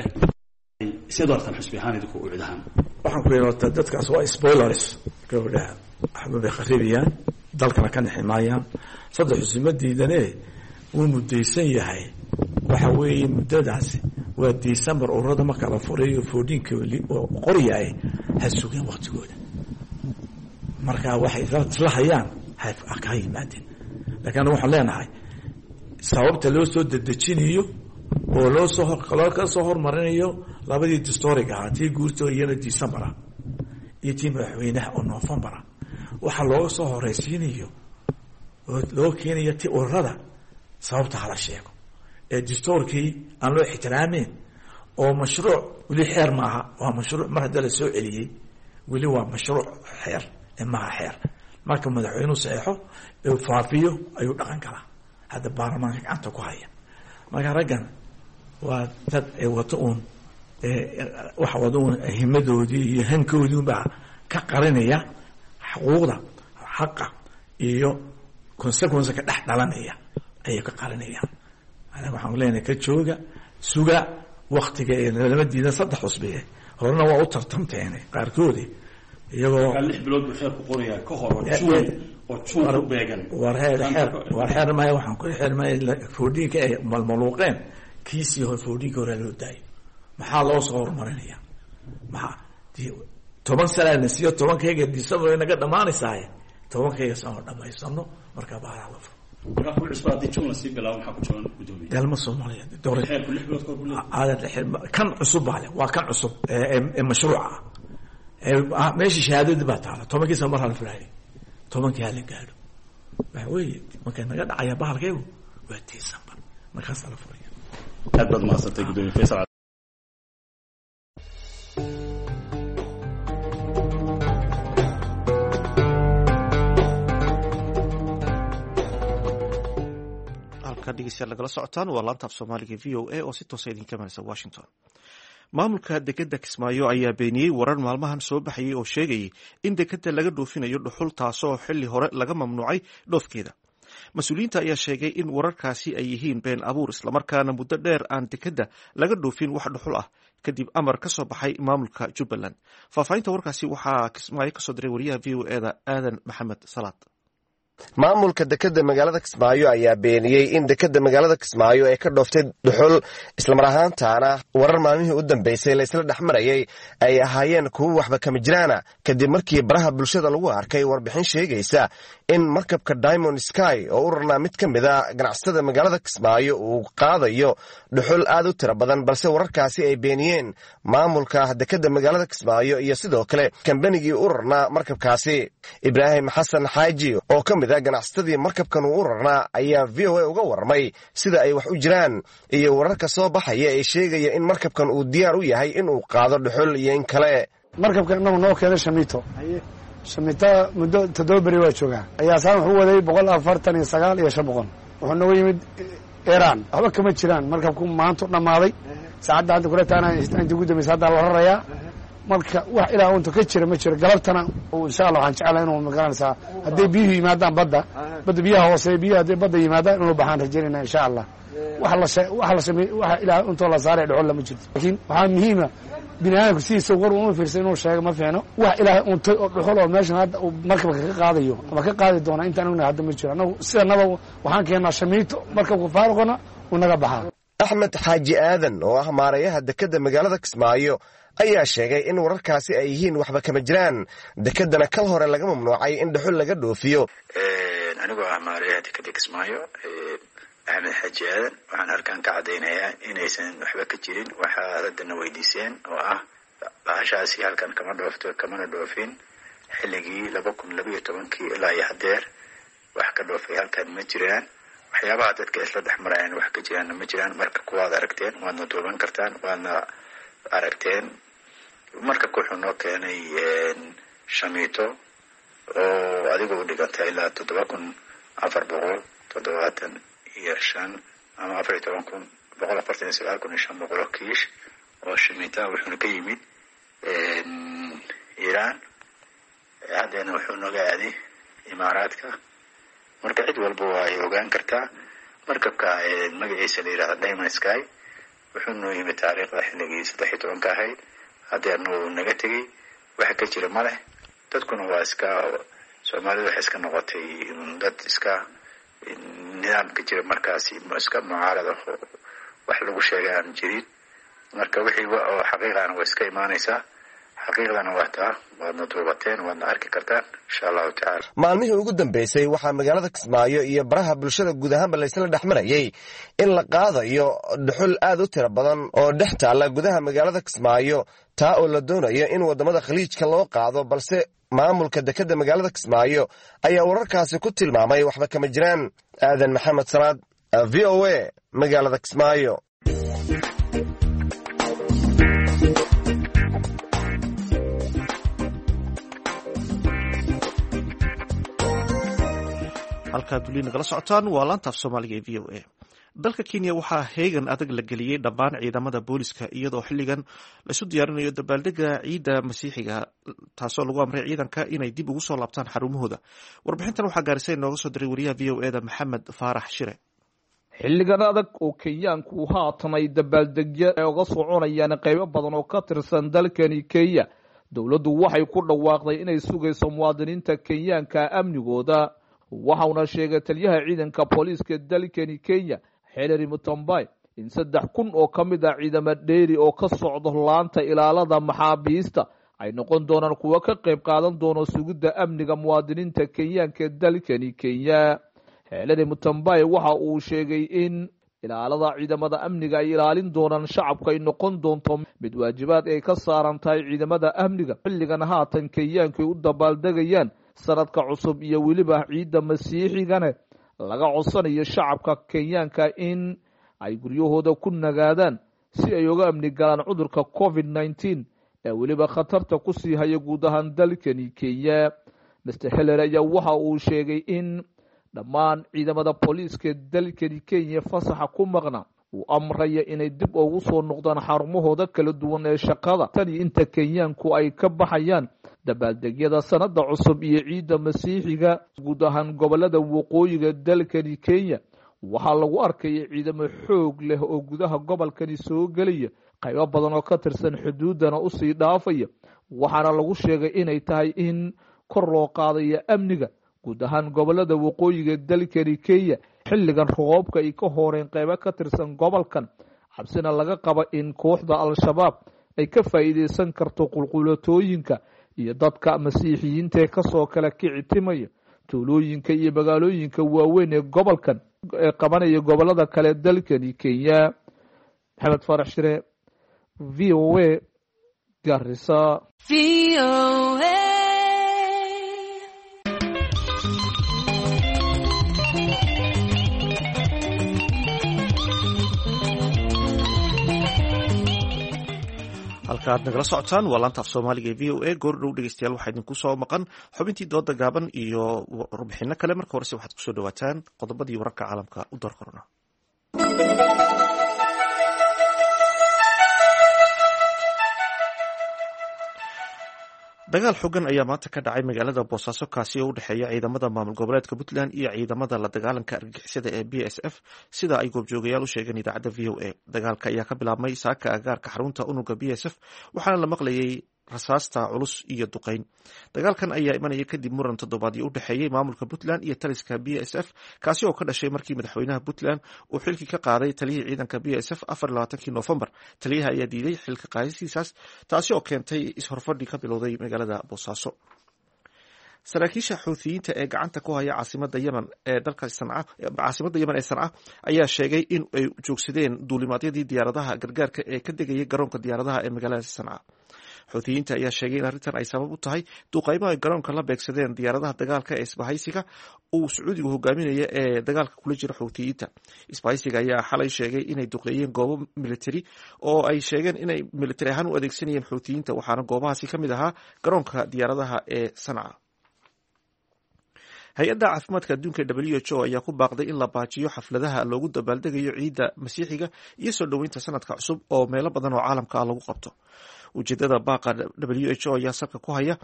sidaad u aragtaan xisbi ahaan idinku u cid ahaan? Waxaan ku yidhi horta dadkaas waa spoilers gabadhaha, waxba bay kharibiyaan, dalkana ka nixi maayaan. Saddex xisbi ma diidane, wuu muddaysan yahay. Waxa weeye muddadaasi waa December. Ururada marka la furayo 14-ka oo qoryaay, ha sugeen waktigooda. Marka waxay isla hayaan ha yimaadeen, lakiin anagu waxaan leenahay sababta loo soo dedejinayo oo loo soo loo ka soo hormarinayo labadii distoriga ahaa, tii guurta iyana December ah iyo tii madaxweynaha oo November ah, waxaa looga soo horeysiinayo oo loo keenayo ti ururada, sababta hala sheego ee distoorkii aan loo ixtiraameyn. Oo mashruuc weli xeer maaha, waa mashruuc. Mar hadda la soo celiyey, weli waa mashruuc, xeer maaha. Xeer marka madaxweynuhu saxeexo, faafiyo, ayuu dhaqan kalaa. Hadda baarlamaanka gacanta ku haya. Marka raggan waa dad ay wato uun, waxa wada uun himadoodii iyo hankoodii unbaa ka qarinaya xuquuqda, xaqa iyo consequence ka dhex dhalanaya ayay ka qarinayaan. Anaga waxaan leenahay, ka jooga, suga waktiga ee lama diidan. Saddex cusbiye horena waa u tartamteene qaarkoodi iyagoo 6 bilood buu xeerku qorayaa ka hor oo Juun, oo Juun ku beegan. War xeer, xeer, war xeer maya. Waxaan ku xeer maya 14-ka ay malmaluuqeen. Kiisii hore, 14-ka hore loo daayay, maxaa loo soo horumarinaya? Maxaa 10 sanaa na siiyo? 10-kayga December naga dhamaanaysaaye, 10-kayga sano dhamaysano, markaa baaraha la furo. Markaa kuwi cusba haddii Juun lasii bilaabo, maxaa ku jaban, gudoomiye? Dalma Soomaaliya doora. Xeerku 6 bilood kahor buu leeyahay. Kan cusub baa leh, waa kan cusub ee mashruuca ah. Meeshii shahaadadii baa taala. 10-kii sano mar hala furaayay, 10-kii hala gaadho. Waxa weeye markay naga dhacaya bahalkaygu waa December, markaasaa la furaya. Aad baad mahadsantay, gudoomiye Faysal. Halka dhegeystayaal nagala socotaan waa laanta af Soomaaliga VOA oo si toosa idinka imanaysa Washington. Maamulka dekeda Kismaayo ayaa beeniyey warar maalmahan soo baxayay oo sheegayay in dekeda laga dhoofinayo dhuxul, taasoo xilli hore laga mamnuucay dhoofkeeda. Mas-uuliyiinta ayaa sheegay in wararkaasi ay yihiin been abuur, islamarkaana muddo dheer aan dekeda laga dhoofin wax dhuxul ah, kadib amar ka soo baxay maamulka Jubbaland. Faahfaahinta warkaasi waxaa Kismaayo kasoo diray wariyaha VOA-da, Aadan Maxamed Salaad. Maamulka dekeda magaalada Kismaayo ayaa beeniyey in dekeda magaalada Kismaayo ay ka dhooftay dhuxul, islamar ahaantaana warar maalmihii u dambeysay la isla dhex marayay ay ahaayeen kuwo waxba kama jiraana, kadib markii baraha bulshada lagu arkay warbixin sheegaysa in markabka Diamond Sky oo u rarnaa mid ka mid a ganacsatada magaalada Kismaayo uu qaadayo dhuxul aad u tiro badan, balse wararkaasi ay beeniyeen maamulka dekeda magaalada Kismaayo iyo sidoo kale kambanigii u rarnaa markabkaasi. Ibraahim Xasan Xaaji oo ka mid a ganacsatadii markabkan uu u rarnaa ayaa VOA uga warramay sida ay wax u jiraan iyo wararka soo baxaya ee sheegaya in markabkan uu diyaar u yahay inuu qaado dhuxul iyo in kale. Markabkan inagu noo keenay shamiito. Shamiitada muddo 7 beri waa joogaa. Ayaasaan wuxuu waday 149,500. Wuxuu nooga yimid Iran. Waxba kama jiraan. Markabku maantu dhammaaday. Saacadda hadda kula taana inta ugu dambaysa haddaa la rarayaa. Marka wax ilaa unta ka jira ma jiro. Galabtana insha Allah waxaan jeclahay inuu, magaranaysaa, hadday biyuhu yimaadaan badda biyaha hooseeya, biyaha hadday badda yimaadaan inuu baxaan rajaynayna insha Allah. Wax la wax la samey, wax ilaa untoo la saaray dhuxul lama jirto. Laakiin waxaa muhiima, bini aadamku sidiisa war uma fiirsan, inuu sheego ma fiicno. Wax Ilaahay untay oo dhuxul oo meeshan hadda uu markabka ka qaadayo ama ka qaadi doona intaan ognahay hadda ma jiro. Annagu sidanaba waxaan keennaa shamiito, markabka faaruqana uu naga baxaa. Axmed Xaaji Aadan oo ah maarayaha dekeda magaalada Kismaayo ayaa sheegay in wararkaasi ay yihiin waxba kama jiraan, dekedana kal hore laga mamnuucay in dhuxul laga dhoofiyo. Anigoo ah maarayaha dekeda Kismaayo, Axmed Xaaji Aadan, waxaan halkan ka caddaynayaa inaysan waxba ka jirin waxaad haddana weydiiseen oo ah bahashaasi halkan kama dhoofto, kamana dhoofin. Xilligii 2012-kii ilaa iyo haddeer wax ka dhoofay halkan ma jiraan. Waxyaabaha dadka isla dhex marayaan wax ka jiraanna ma jiraan. Marka kuwaad aragteen, waadna duuban kartaan, waadna aragteen. Markabka wuxuu noo keenay shamiito oo adiga u dhiganta ilaa 7475 ama 14,149,500 oo kiish oo shamiita. Wuxuuna ka yimid Iiraan, haddeena wuxuu nooga aaday Imaaraadka. Marka cid walba waa ay ogaan kartaa. Markabka magaciisa la yidhahda Diamond Sky wuxuu noo yimid taariikhda xilligii 13-ka ahayd, haddeerna wuu naga tegey. Waxa ka jira ma leh. Dadkuna waa iska, Soomaalidu waxay iska noqotay dad iska nidaamka jira markaasi iska mucaarad ah oo wax lagu sheegay aan jirin. Marka wixii oo xaqiiqana waa iska imaanaysaa, xaqiiqdana waa taa. Waadna duubateen, waadna arki kartaan insha Allahu tacala. Maalmihii ugu dambeysay waxaa magaalada Kismaayo iyo baraha bulshada guud ahaanba laysla dhex marayay in la qaadayo dhuxul aad u tiro badan oo dhex taalla gudaha magaalada Kismaayo, taa oo la doonayo in waddamada Khaliijka loo qaado, balse maamulka dekeda magaalada Kismaayo ayaa wararkaasi ku tilmaamay waxba kama jiraan. Aadan Maxamed Salaad, VOA, magaalada Kismaayo. Halkaad weli nagala socotaan waa laantaaf Soomaaliga ee VOA. Dalka Kenya waxaa heegan adag la geliyey dhammaan ciidamada booliska, iyadoo xilligan laisu diyaarinayo dabaaldega ciidda Masiixiga, taasoo lagu amray ciidanka inay dib ugu soo laabtaan xarumahooda. Warbixintan waxaa gaarisay nooga soo diray wariyaha VOA-da Maxamed Faarax Shire. Xilligan adag oo Kenyaanku haatan ay dabaaldegyo ay uga soconayaan qaybo badan oo ka tirsan dalkani Kenya, dowladdu waxay ku dhawaaqday inay sugayso muwaadiniinta Kenyaanka amnigooda. Waxauna sheegay taliyaha ciidanka booliiska dalkani Kenya, Hillary Mutombay, in 3000 oo ka mid ah ciidamo dheeri oo ka socdo laanta ilaalada maxaabiista ay noqon doonaan kuwo ka qayb qaadan doono sugidda amniga muwaadiniinta Kenyaanka ee dalkani Kenya. Hillary Mutombay waxa uu sheegay in ilaalada ciidamada amniga ay ilaalin doonaan shacabka ay noqon doonto mid waajibaad ay ka saaran tahay ciidamada amniga xilligan haatan Kenyaanku ay u dabaaldegayaan sanadka cusub iyo weliba ciidda Masiixigane laga codsanayo shacabka Kenyaanka in ay guryahooda ku nagaadaan si ay uga amni galaan cudurka COVID-19 ee weliba khatarta ku sii haya guud ahaan dalkani Kenya. Mr Hillary ayaa waxa uu sheegay in dhammaan ciidamada booliiska dalkani Kenya fasaxa ku maqna uu amraya inay dib ugu soo noqdaan xarumahooda kala duwan ee shaqada tan iyo inta Kenyaanku ay ka baxayaan dabaaldegyada sanada cusub iyo ciidda Masiixiga. Guud ahaan gobolada waqooyiga dalkani Kenya waxaa lagu arkaya ciidamo xoog leh oo gudaha gobolkani soo gelaya, qaybo badan oo ka tirsan xuduudana usii dhaafaya, waxaana lagu sheegay inay tahay in kor loo qaadayo amniga guud ahaan gobolada waqooyiga dalkani Kenya xilligan roobabka ay ka horeen qaybo ka tirsan gobolkan, cabsina laga qaba in kooxda Al-Shabaab ay ka faa'iideysan karto qulqulatooyinka iyo dadka Masiixiyiinta ee kasoo kala kici timaya tuulooyinka iyo magaalooyinka waaweyn ee gobolkan ee qabanaya gobolada kale dalkani Kenya. Maxamed Faarax Shire, VOA, Garissa. Halka aad nagala socotaan waa laanta af Soomaaliga ee VOA. Goordhow dhegeystayaal, waxaa idinku soo maqan xubintii dooda gaaban iyo warbixino kale. Marka horese waxaad kusoo dhawaataan qodobadii wararka caalamka u door korona. Dagaal xogan ayaa maanta ka dhacay magaalada Boosaaso, kaasi oo u dhexeeya ciidamada maamul goboleedka Puntland iyo ciidamada la dagaalanka argagixisada ee BSF, sida ay goobjoogayaal u sheegeen idaacadda VOA. Dagaalka ayaa ka bilaabmay saaka agaarka xarunta unuga BSF, waxaana la maqlayay rasaasta culus iyo duqeyn. Dagaalkan ayaa imanaya kadib muran toddobaadyo u dhexeeyey maamulka Puntland iyo taliska BSF, kaasi oo ka dhashay markii madaxweynaha Puntland uu xilkii ka qaaday taliyihii ciidanka BSF 24-kii Noofembar. Taliyaha ayaa diiday xilka qaadistiisaas, taasi oo keentay is-horfadhi ka bilowday magaalada Boosaaso. Saraakiisha Xuuthiyiinta ee gacanta ku haya caasimada Yemen ee dalka Sanca, caasimada Yemen ee Sanca, ayaa sheegay in ay joogsadeen duulimaadyadii diyaaradaha gargaarka ee ka degayay garoonka diyaaradaha ee magaalada Sanca. Xuuthiyiinta ayaa sheegay in arrintan ay sabab u tahay duqeymo ay garoonka la beegsadeen diyaaradaha dagaalka ee isbahaysiga uu Sacuudigu hogaaminaya ee dagaalka kula jira Xuuthiyiinta. Isbahaysiga ayaa xalay sheegay inay duqeeyeen goobo military oo ay sheegeen inay military ahaan u adeegsanayeen Xuuthiyiinta, waxaana goobahaasi ka mid ahaa garoonka diyaaradaha ee Sanca. Hay-adda caafimaadka adduunka WHO ayaa ku baaqday in la baajiyo xafladaha loogu dabaaldegayo ciidda Masiixiga iyo soo dhoweynta sanadka cusub oo meelo badan oo caalamka ah lagu qabto. Ujeedada baaqa WHO ayaa salka ku haya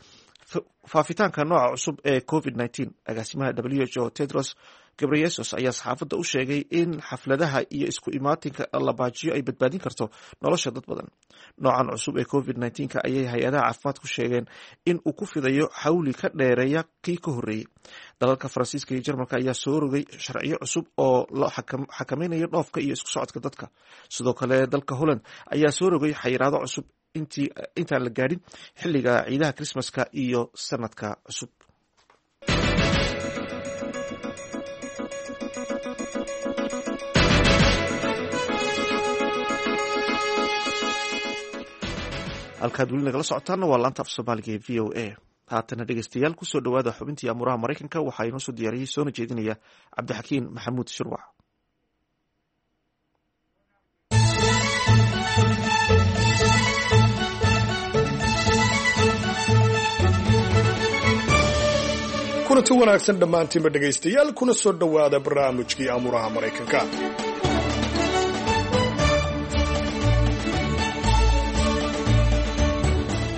faafitaanka nooca cusub ee COVID-19. Agaasimaha WHO Tedros Ghebreyesus ayaa saxaafadda u sheegay in xafladaha iyo isku imaatinka la baajiyo ay badbaadin karto nolosha dad badan. Noocan cusub ee COVID-19 ayay hay-adaha caafimaadku sheegeen in uu ku fidayo xawli ka dheereeya kii ka horreeyey. Dalalka Faransiiska iyo Jarmalka ayaa soo rogay sharciyo cusub oo la xakamaynayo dhoofka iyo isku socodka dadka. Sidoo kale dalka Holland ayaa soo rogay xayiraado cusub intaan la gaadhin xilliga ciidaha Krismaska iyo sanadka cusub. Halkaad weli nagala socotaana waa laanta af Soomaaliga ee VOA. Haatana dhegeystayaal, kusoo dhowaada xubintii amuuraha Maraykanka. Waxaa inoo soo diyaariyey soona jeedinaya Cabdixakiin Maxamuud Shirwac. Kulanti wanaagsan dhammaantiinba dhegaystayaal, kuna soo dhowaada barnaamijkii Amuraha Maraykanka.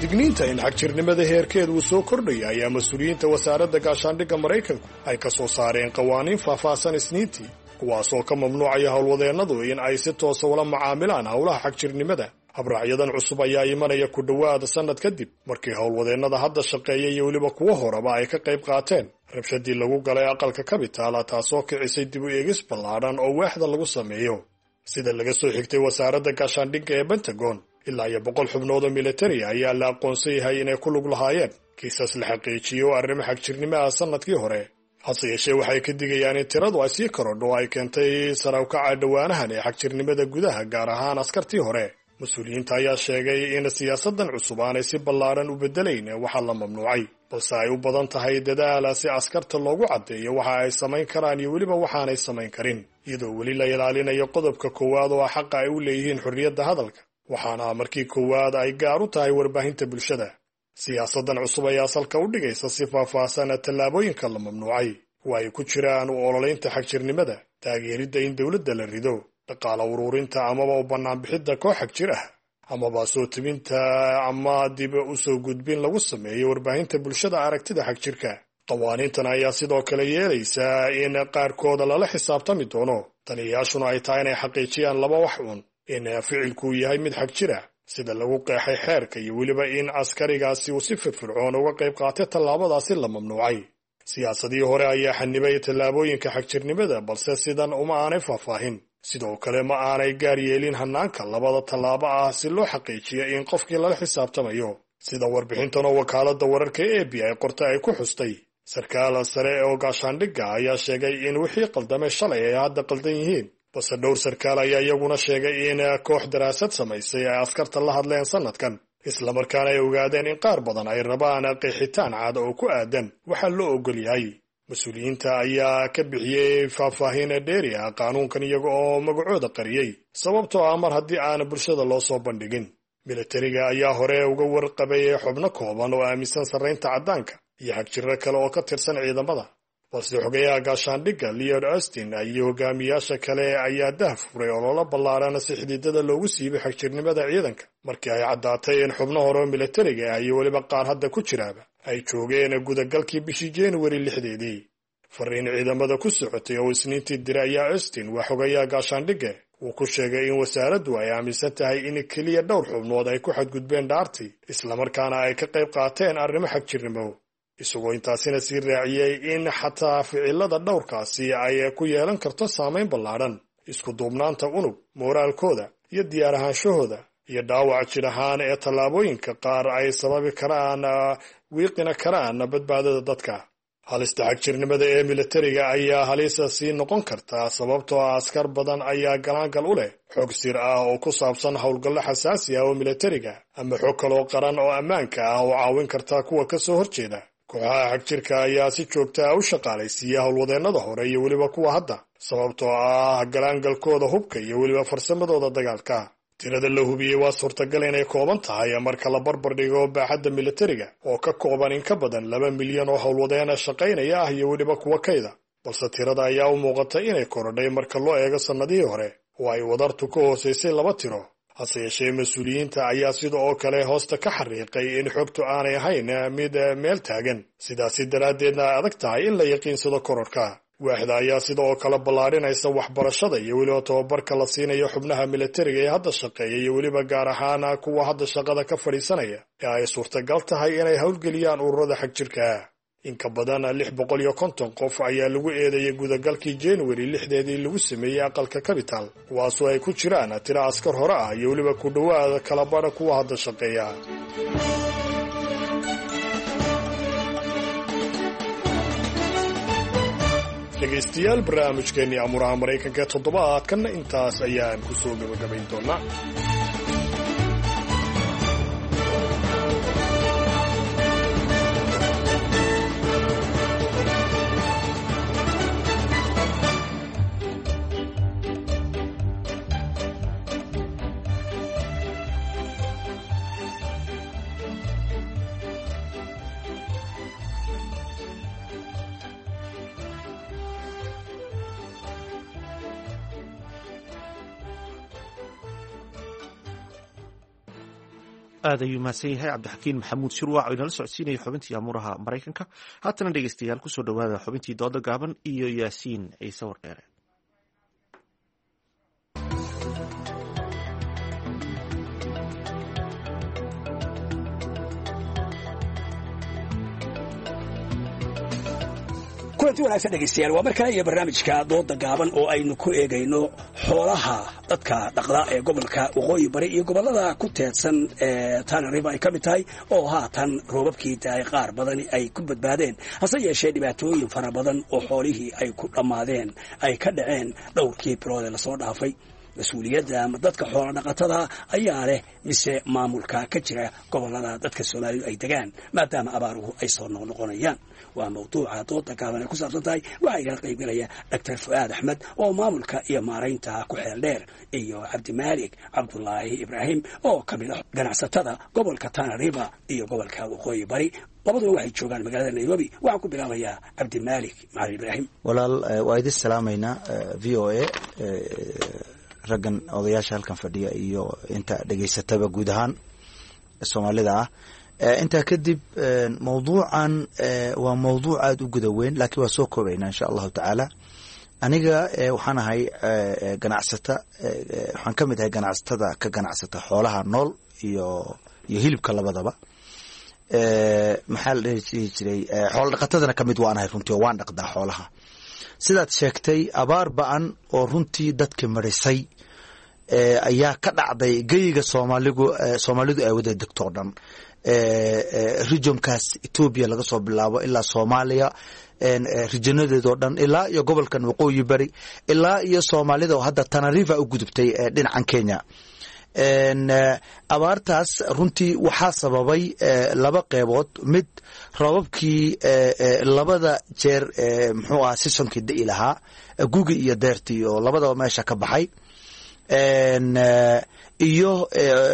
Digniinta in xagjirnimada heerkeed uu soo kordhaya ayaa mas-uuliyiinta wasaaradda gaashaandhigga Maraykanku ay ka soo saareen qawaaniin faahfaahsan Isniintii, kuwaasoo ka mamnuucaya howlwadeennadu in ay si toosa ula macaamilaan howlaha xagjirnimada. Habraacyadan cusub ayaa imanaya ku dhowaada sannad kadib markii howlwadeennada hadda shaqeeya iyo weliba kuwo horeba ay ka qayb qaateen rabshadii lagu galay aqalka Kabitaala, taasoo kicisay dib u eegis ballaadhan oo waaxda lagu sameeyo. Sida laga soo xigtay wasaaradda gaashaandhigga ee Pentagon, ilaa iyo 100 xubnood oo militari ayaa la aqoonsan yahay inay ku lug lahaayeen kiisas la xaqiijiyo oo arrimo xagjirnimaha sannadkii hore. Hase yeeshee, waxay ka digayaan in tiradu ay sii korodho oo ay keentay sarawkaca dhowaanahan ee xagjirnimada gudaha, gaar ahaan askartii hore. Mas-uuliyiinta ayaa sheegay in siyaasadan cusub aanay si ballaadhan u bedelayn waxa la mamnuucay, balse ay u badan tahay dadaala si askarta loogu caddeeyo waxa ay samayn karaan iyo weliba waxaanay samayn karin, iyadoo weli la ilaalinayo qodobka koowaad oo ah xaqa ay u leeyihiin xorriyadda hadalka, waxaana markii koowaad ay gaar u tahay warbaahinta bulshada. Siyaasadan cusub ayaa salka u dhigaysa si faahfaahsan tallaabooyinka la mamnuucay, oo ay ku jiraan u ololeynta xagjirnimada, taageeridda in dowladda la rido, dhaqaala ururinta amaba u bannaanbixidda koox xagjir ah, amaba soo tebinta ama dib u soo gudbin lagu sameeyo warbaahinta bulshada aragtida xagjirka. Qawaaniintan ayaa sidoo kale yeelaysaa in qaarkooda lala xisaabtami doono, taliyayaashuna ay tahay inay xaqiijiyaan laba wax uun: in ficilku yahay mid xagjir ah sida lagu qeexay xeerka, iyo weliba in askarigaasi uu si firfircoon uga qayb qaatay tallaabadaasi la mamnuucay. Siyaasadii hore ayaa xanibay tallaabooyinka xagjirnimada, balse sidan uma aanay faahfaahin. Sidoo kale ma aanay gaar yeelin hanaanka labada tallaabo ah si loo xaqiijiyo in qofkii lala xisaabtamayo. Sida warbixintan oo wakaaladda wararka AP ay qortay ay ku xustay, sarkaal sare oo gaashaandhigga ayaa sheegay in wixii qaldamay shalay ay hadda qaldan yihiin, balse dhowr sarkaal ayaa iyaguna sheegay in koox daraasad samaysay ay askarta la hadleen sannadkan, islamarkaana ay ogaadeen in qaar badan ay rabaan qeexitaan cad oo ku aadan waxaa loo ogol yahay. Mas-uuliyiinta ayaa ka bixiyey faahfaahin dheeri ah qaanuunkan iyaga oo magacooda qariyey, sababtoo ah mar haddii aan bulshada loo soo bandhigin. Militariga ayaa hore uga warqabay xubno kooban oo aaminsan sarraynta caddaanka iyo xagjirro kale oo ka tirsan ciidamada, balse xogayaha gaashaandhigga Lloyd Austin iyo hogaamiyaasha kale ayaa dah furay ololo ballaaran si xididada loogu siibay xagjirnimada ciidanka, markii ay caddaatay in xubno hore oo militariga ah iyo weliba qaar hadda ku jiraaba ay joogeen gudagalkii bishii Januari 6deedii. Fariin ciidamada ku socotay oo Isniintii diray ayaa Austin, waa xogayaha gaashaandhigga, uu ku sheegay in wasaaraddu ay aaminsan tahay in keliya dhowr xubnood ay ku xadgudbeen dhaartii, islamarkaana ay ka qayb qaateen arrimo xagjirnimo, isagoo intaasina sii raaciyey in xataa ficilada dhowrkaasi ay ku yeelan karto saameyn ballaadhan isku duubnaanta unug, mooraalkooda iyo diyaar ahaanshahooda, iyo dhaawac jir ahaan ee tallaabooyinka qaar ay sababi karaan, wiiqina karaan badbaadada dadka. Halista xagjirnimada ee militariga ayaa halisa sii noqon kartaa, sababtoo ah askar badan ayaa galaangal u leh xog sir ah oo ku saabsan howlgallo xasaasi ah oo militariga ama xog kaloo qaran oo ammaanka ah oo caawin karta kuwa ka soo horjeeda. Kooxaha xagjirka ayaa si joogta ah u shaqaalaysiiya howlwadeennada hore iyo weliba kuwa hadda, sababtoo ah galaangalkooda hubka iyo weliba farsamadooda dagaalka. Tirada la hubiyey waa suurtagal inay kooban tahay marka la barbar dhigo baaxadda militariga oo ka kooban in ka badan 2 milyan oo howlwadeena shaqaynaya ah iyo weliba kuwa kayda, balse tirada ayaa u muuqata inay korodhay marka loo eego sannadihii hore oo ay wadartu ka hoosaysay laba tiro. Hase yeeshee, mas-uuliyiinta ayaa sida oo kale hoosta ka xariiqay in xogtu aanay ahayn mid meel taagan, sidaasi daraaddeedna ay adag tahay in la yaqiinsado kororhka. Waaxda ayaa sida oo kale ballaarinaysa waxbarashada iyo weliba tababarka la siinayo xubnaha militariga ee hadda shaqeeya, iyo weliba gaar ahaan kuwa hadda shaqada ka fadhiisanaya ee ay suurtagal tahay inay howlgeliyaan ururada xagjirka. In ka badan 650 qof ayaa lagu eedeeyay gudagalkii January 6deedii lagu sameeyey aqalka Capital, kuwaasoo ay ku jiraan tiro askar hore ah iyo weliba ku dhowaada kala badha kuwa hadda shaqeeya. Dhegaystayaal, barnaamijkeennii Amuraha Maraykanka ee toddobaadkanna intaas ayaan ku soo gabagabayn doonaa. Aad ayuu mahadsan yahay Cabdixakiin Maxamuud Shirwac oo inala socodsiinaya xubintii amuuraha Maraykanka. Haatana dhegeystayaal, kusoo dhowaada xubintii dooda gaaban iyo Yaasiin Ciise Wardheere. Kulanti wanaagsan dhegaystayaal, waa mar kale iyo barnaamijka dooda gaaban oo aynu ku eegayno xoolaha dadka dhaqda ee gobolka Waqooyi Bari iyo gobollada ku teedsan ee Tana River ay ka mid tahay, oo haatan roobabkii daay qaar badani ay ku badbaadeen, hase yeeshee dhibaatooyin fara badan oo xoolihii ay ku dhammaadeen ay ka dhaceen dhowrkii bilood ee lasoo dhaafay. Mas-uuliyadda ama dadka xoola dhaqatada ayaa leh mise maamulka ka jira gobollada dadka Soomaalidu ay degaan, maadaama abaaruhu ay soo noqnoqonayaan? Waa mawduuca dooda gaaban ay ku saabsan tahay. Waxaa igala qaybgalaya Doctor Fu'aad Axmed oo maamulka iyo maaraynta ku xeel dheer, iyo Cabdimaalik Cabdulaahi Ibraahim oo ka mid ah ganacsatada gobolka Tana River iyo gobolka Waqooyi Bari. Labaduba waxay joogaan magaalada Nairobi. Waxaan ku bilaabayaa Cabdimaalik Macalin Ibraahim. Walaal, waa idin salaamaynaa VOA, raggan odayaasha halkan fadhiya iyo inta dhegaysataba, guud ahaan Soomaalida ah. Intaa kadib, mawduucan waa mawduuc aada u guda weyn, laakiin waa soo koobaynaa insha Allahu tacaala. Aniga waxaan ahay ganacsata, waxaan ka mid ahay ganacsatada ka ganacsata xoolaha nool iyo hilibka labadaba. Maxaa la dhihi jiray, xoola dhaqatadana ka mid waan ahay runtii, oo waan dhaqdaa xoolaha. Sidaad sheegtay, abaar ba-an oo runtii dadka marisay ayaa ka dhacday geyiga Soomaaligu Soomaalidu ay wada degto o dhan, regionkaas Etoobiya laga soo bilaabo ilaa Soomaaliya regionadeed oo dhan, ilaa iyo gobolkan Waqooyi Bari, ilaa iyo Soomaalida oo hadda Tana River u gudubtay dhinacan Kenya. Abaartaas runtii waxaa sababay laba qeybood: mid, roobabkii labada jeer muxuu ahaa seasonkii da'i lahaa, gugi iyo deertii, oo labadaba meesha ka baxay, iyo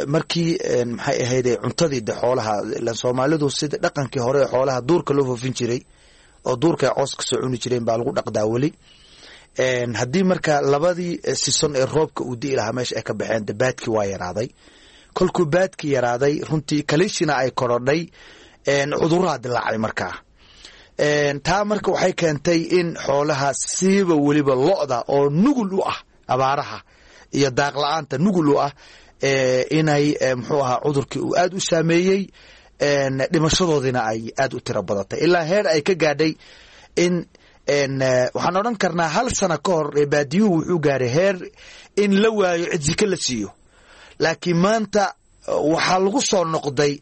markii maxay ahayd cuntadii de xoolaha ilan Soomaalidu sida dhaqankii hore xoolaha duurka loo foofin jiray oo duurka ay coos kasoo cuni jireen baa lagu dhaqdaa weli. Haddii marka labadii season ee roobka uu di'i lahaa meesha ay ka baxeen, de baadkii waa yaraaday. Kolkuu baadkii yaraaday, runtii kalishina ay korodhay, cudurraa dilaacay. Markaa taa marka waxay keentay in xoolaha, siiba weliba lo'da oo nugul u ah abaaraha iyo daaq la-aanta nugul u ah, inay muxuu ahaa cudurkii uu aada u saameeyey, dhimashadoodiina ay aada u tiro badatay, ilaa heer ay ka gaadhay in waxaan odhan karnaa hal sano ka hor baadiyuhu wuxuu gaaray heer in la waayo cid sika la siiyo. Laakiin maanta waxaa lagu soo noqday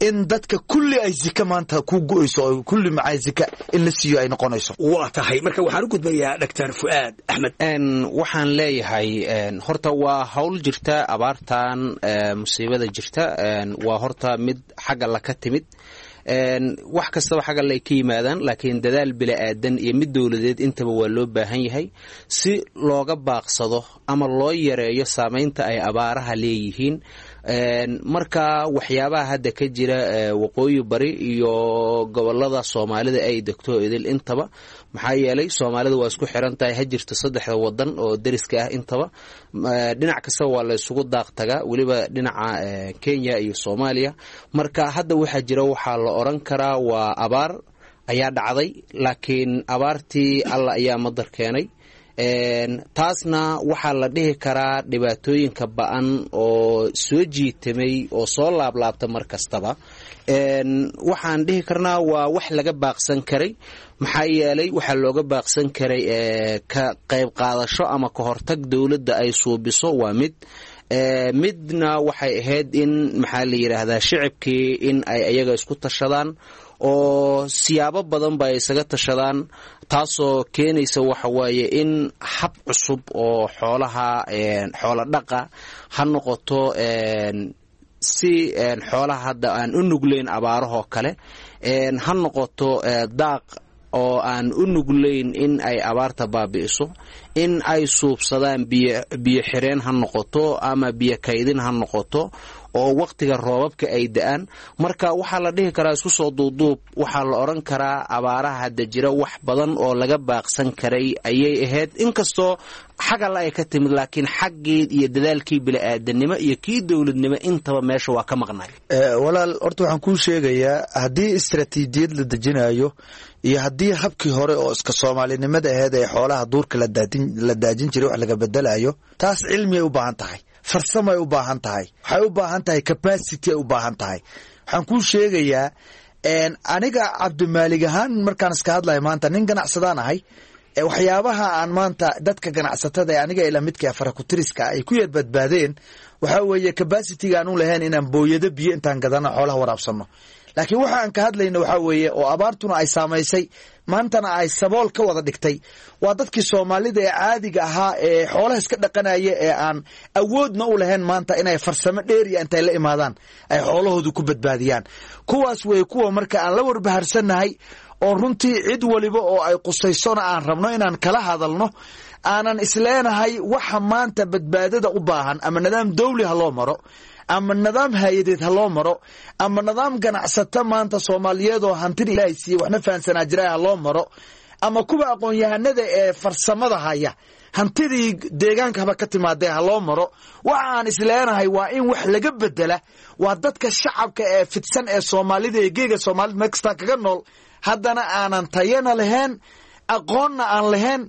in dadka kulli ay zika maanta ku go'ayso oo kulli macaa zika in la siiyo ay noqonayso. Waa tahay, marka waxaan u gudbayaa Doctor Fu'aad Axmed. Waxaan leeyahay horta waa hawl jirta abaartan, musiibada jirta waa horta mid xagga la ka timid. Wax kastaba xagga ay ka yimaadaan, laakiin dadaal bili-aadan iyo mid dowladeed intaba waa loo baahan yahay si looga baaqsado ama loo yareeyo saameynta ay abaaraha leeyihiin. Marka waxyaabaha hadda ka jira Waqooyi Bari iyo gobolada Soomaalida ay degto idil intaba, maxaa yeelay Soomaalida waa isku xiran tahay, ha jirto saddexda wadan oo deriska ah intaba, dhinac kastaba waa la isugu daaq tagaa, weliba dhinaca Kenya iyo Soomaaliya. Marka hadda waxaa jira waxaa la oran karaa waa abaar ayaa dhacday, laakiin abaartii Alla ayaa madar keenay. Taasna waxaa la dhihi karaa dhibaatooyinka ba-an oo soo jiitamay oo soo laablaabta mar kastaba, waxaan dhihi karnaa waa wax laga baaqsan karay. Maxaa yeelay waxaa looga baaqsan karay ka qayb qaadasho ama ka hortag dowladda ay suubiso waa mid, midna waxay ahayd in maxaa la yidhaahdaa shicibkii in ay ayaga isku tashadaan oo siyaabo badan ba ay isaga tashadaan, taasoo keenaysa waxa waaye in hab cusub oo xoolaha xoola dhaqa ha noqoto, si xoolaha hadda aan u nuglayn abaarahoo kale ha noqoto, daaq oo aan u nuglayn in ay abaarta baabi'iso in ay suubsadaan, biyo xireen ha noqoto ama biyo kaydin ha noqoto. oo waqtiga roobabka ay da-aan. Marka waxaa la dhihi karaa isku soo duuduub, waxaa la odhan karaa abaaraha hadda jira wax badan oo laga baaqsan karay ayay ahayd, inkastoo xag alla ay ka timid, laakiin xaggii iyo dadaalkii bili-aadanimo iyo kii dowladnimo intaba meesha waa ka maqnay. Walaal, horta waxaan kuu sheegayaa haddii istaraatiijiyad la dejinayo iyo haddii habkii hore oo iska soomaalinimada aheyd ee xoolaha duurka la daajin jiray wax laga bedelayo, taas cilmiyay u baahan tahay, farsamay u baahan tahay, waxay u baahan tahay capacity ay u baahan tahay. Waxaan kuu sheegayaa aniga Cabdimaalig ahaan markaan iska hadlayo, maanta nin ganacsadaan ahay. Waxyaabaha aan maanta dadka ganacsatada ee aniga ila midka farakutiriska ay ku yar badbaadeen waxaa weeye capacity-ga aan u lahayn inaan booyado biyo intaan gadano xoolaha waraabsano. Laakiin waxa aan ka hadlayno waxaa weeye oo abaartuna ay saamaysay, maantana ay sabool ka wada dhigtay, waa dadkii Soomaalida ee caadiga ahaa ee xoolaha iska dhaqanaya ee aan awoodna u lahayn maanta inay farsamo dheeriya intay la imaadaan ay xoolahoodu ku badbaadiyaan. Kuwaas wey kuwa marka aan la warbaharsannahay oo runtii cid waliba oo ay qusaysona aan rabno inaan kala hadalno, aanan isleenahay waxa maanta badbaadada u baahan ama nidaam dawli ha loo maro ama nidaam hay-adeed ha loo maro ama nidaam ganacsato maanta Soomaaliyeed oo hantida Ilaahay siiyey waxna fahansanaa jira ha loo maro ama kuwa aqoon-yahanada ee farsamada haya hantidii deegaanka haba ka timaadee ha loo maro. Waxa aan isleenahay waa in wax laga bedela waa dadka shacabka ee fidsan ee Soomaalida ee geega Soomaalida meel kastaa kaga nool, haddana aanan tayana lahayn, aqoonna aan lahayn,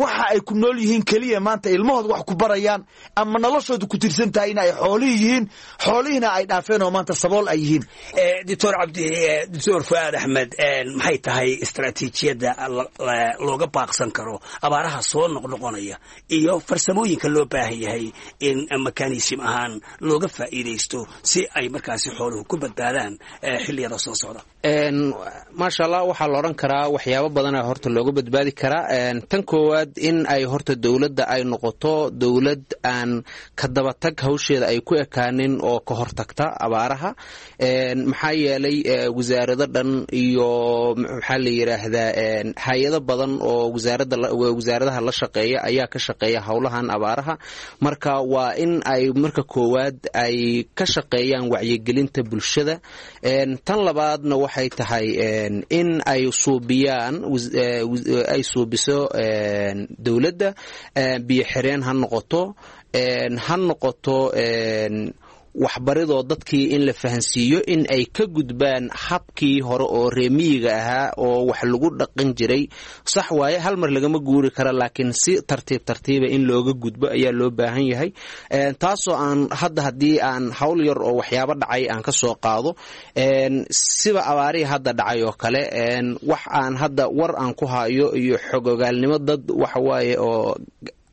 waxa ay ku nool yihiin keliya maanta ilmahooda wax ku barayaan ama noloshooda ku tirsan tahay in ay xoolihii yihiin, xoolihiina ay dhaafeen oo maanta sabool ay yihiin. Doctor Cabdi, Doctor Fuaad Axmed, maxay tahay istaraatiijiyadda looga baaqsan karo abaaraha soo noqnoqonaya iyo farsamooyinka loo baahan yahay in mekanism ahaan looga faa'iidaysto si ay markaasi xooluhu ku badbaadaan xilliyada soo socda? Maasha Allah, waxaa la odhan karaa waxyaabo badana horta looga badbaadi karaa. Tan koowaad, in ay horta dowladda ay noqoto dowlad aan ka dabatag hawsheeda ay ku ekaanin oo ka hortagta abaaraha. Maxaa yeelay wasaarado dhan iyo maxaa la yidhaahdaa hay-ado badan oo wasaaradda wasaaradaha la shaqeeya ayaa ka shaqeeya howlahan abaaraha. Marka waa in ay marka koowaad ay ka shaqeeyaan wacyigelinta bulshada. Tan labaadna waxay tahay in ay suubiyaan, ay suubiso dowladda biyo xireen ha noqoto, ha noqoto waxbaridoo dadkii in la fahansiiyo in ay ka gudbaan habkii hore oo reemiyiga ahaa oo wax lagu dhaqan jiray. Sax waaye, hal mar lagama guuri kara, laakiin si tartiib tartiiba in looga gudbo ayaa loo baahan yahay. Taasoo aan hadda haddii aan hawl yar oo waxyaabo dhacay aan ka soo qaado, siba abaarihii hadda dhacay oo kale, wax aan hadda war aan ku hayo iyo xogogaalnimo dad waxawaaye oo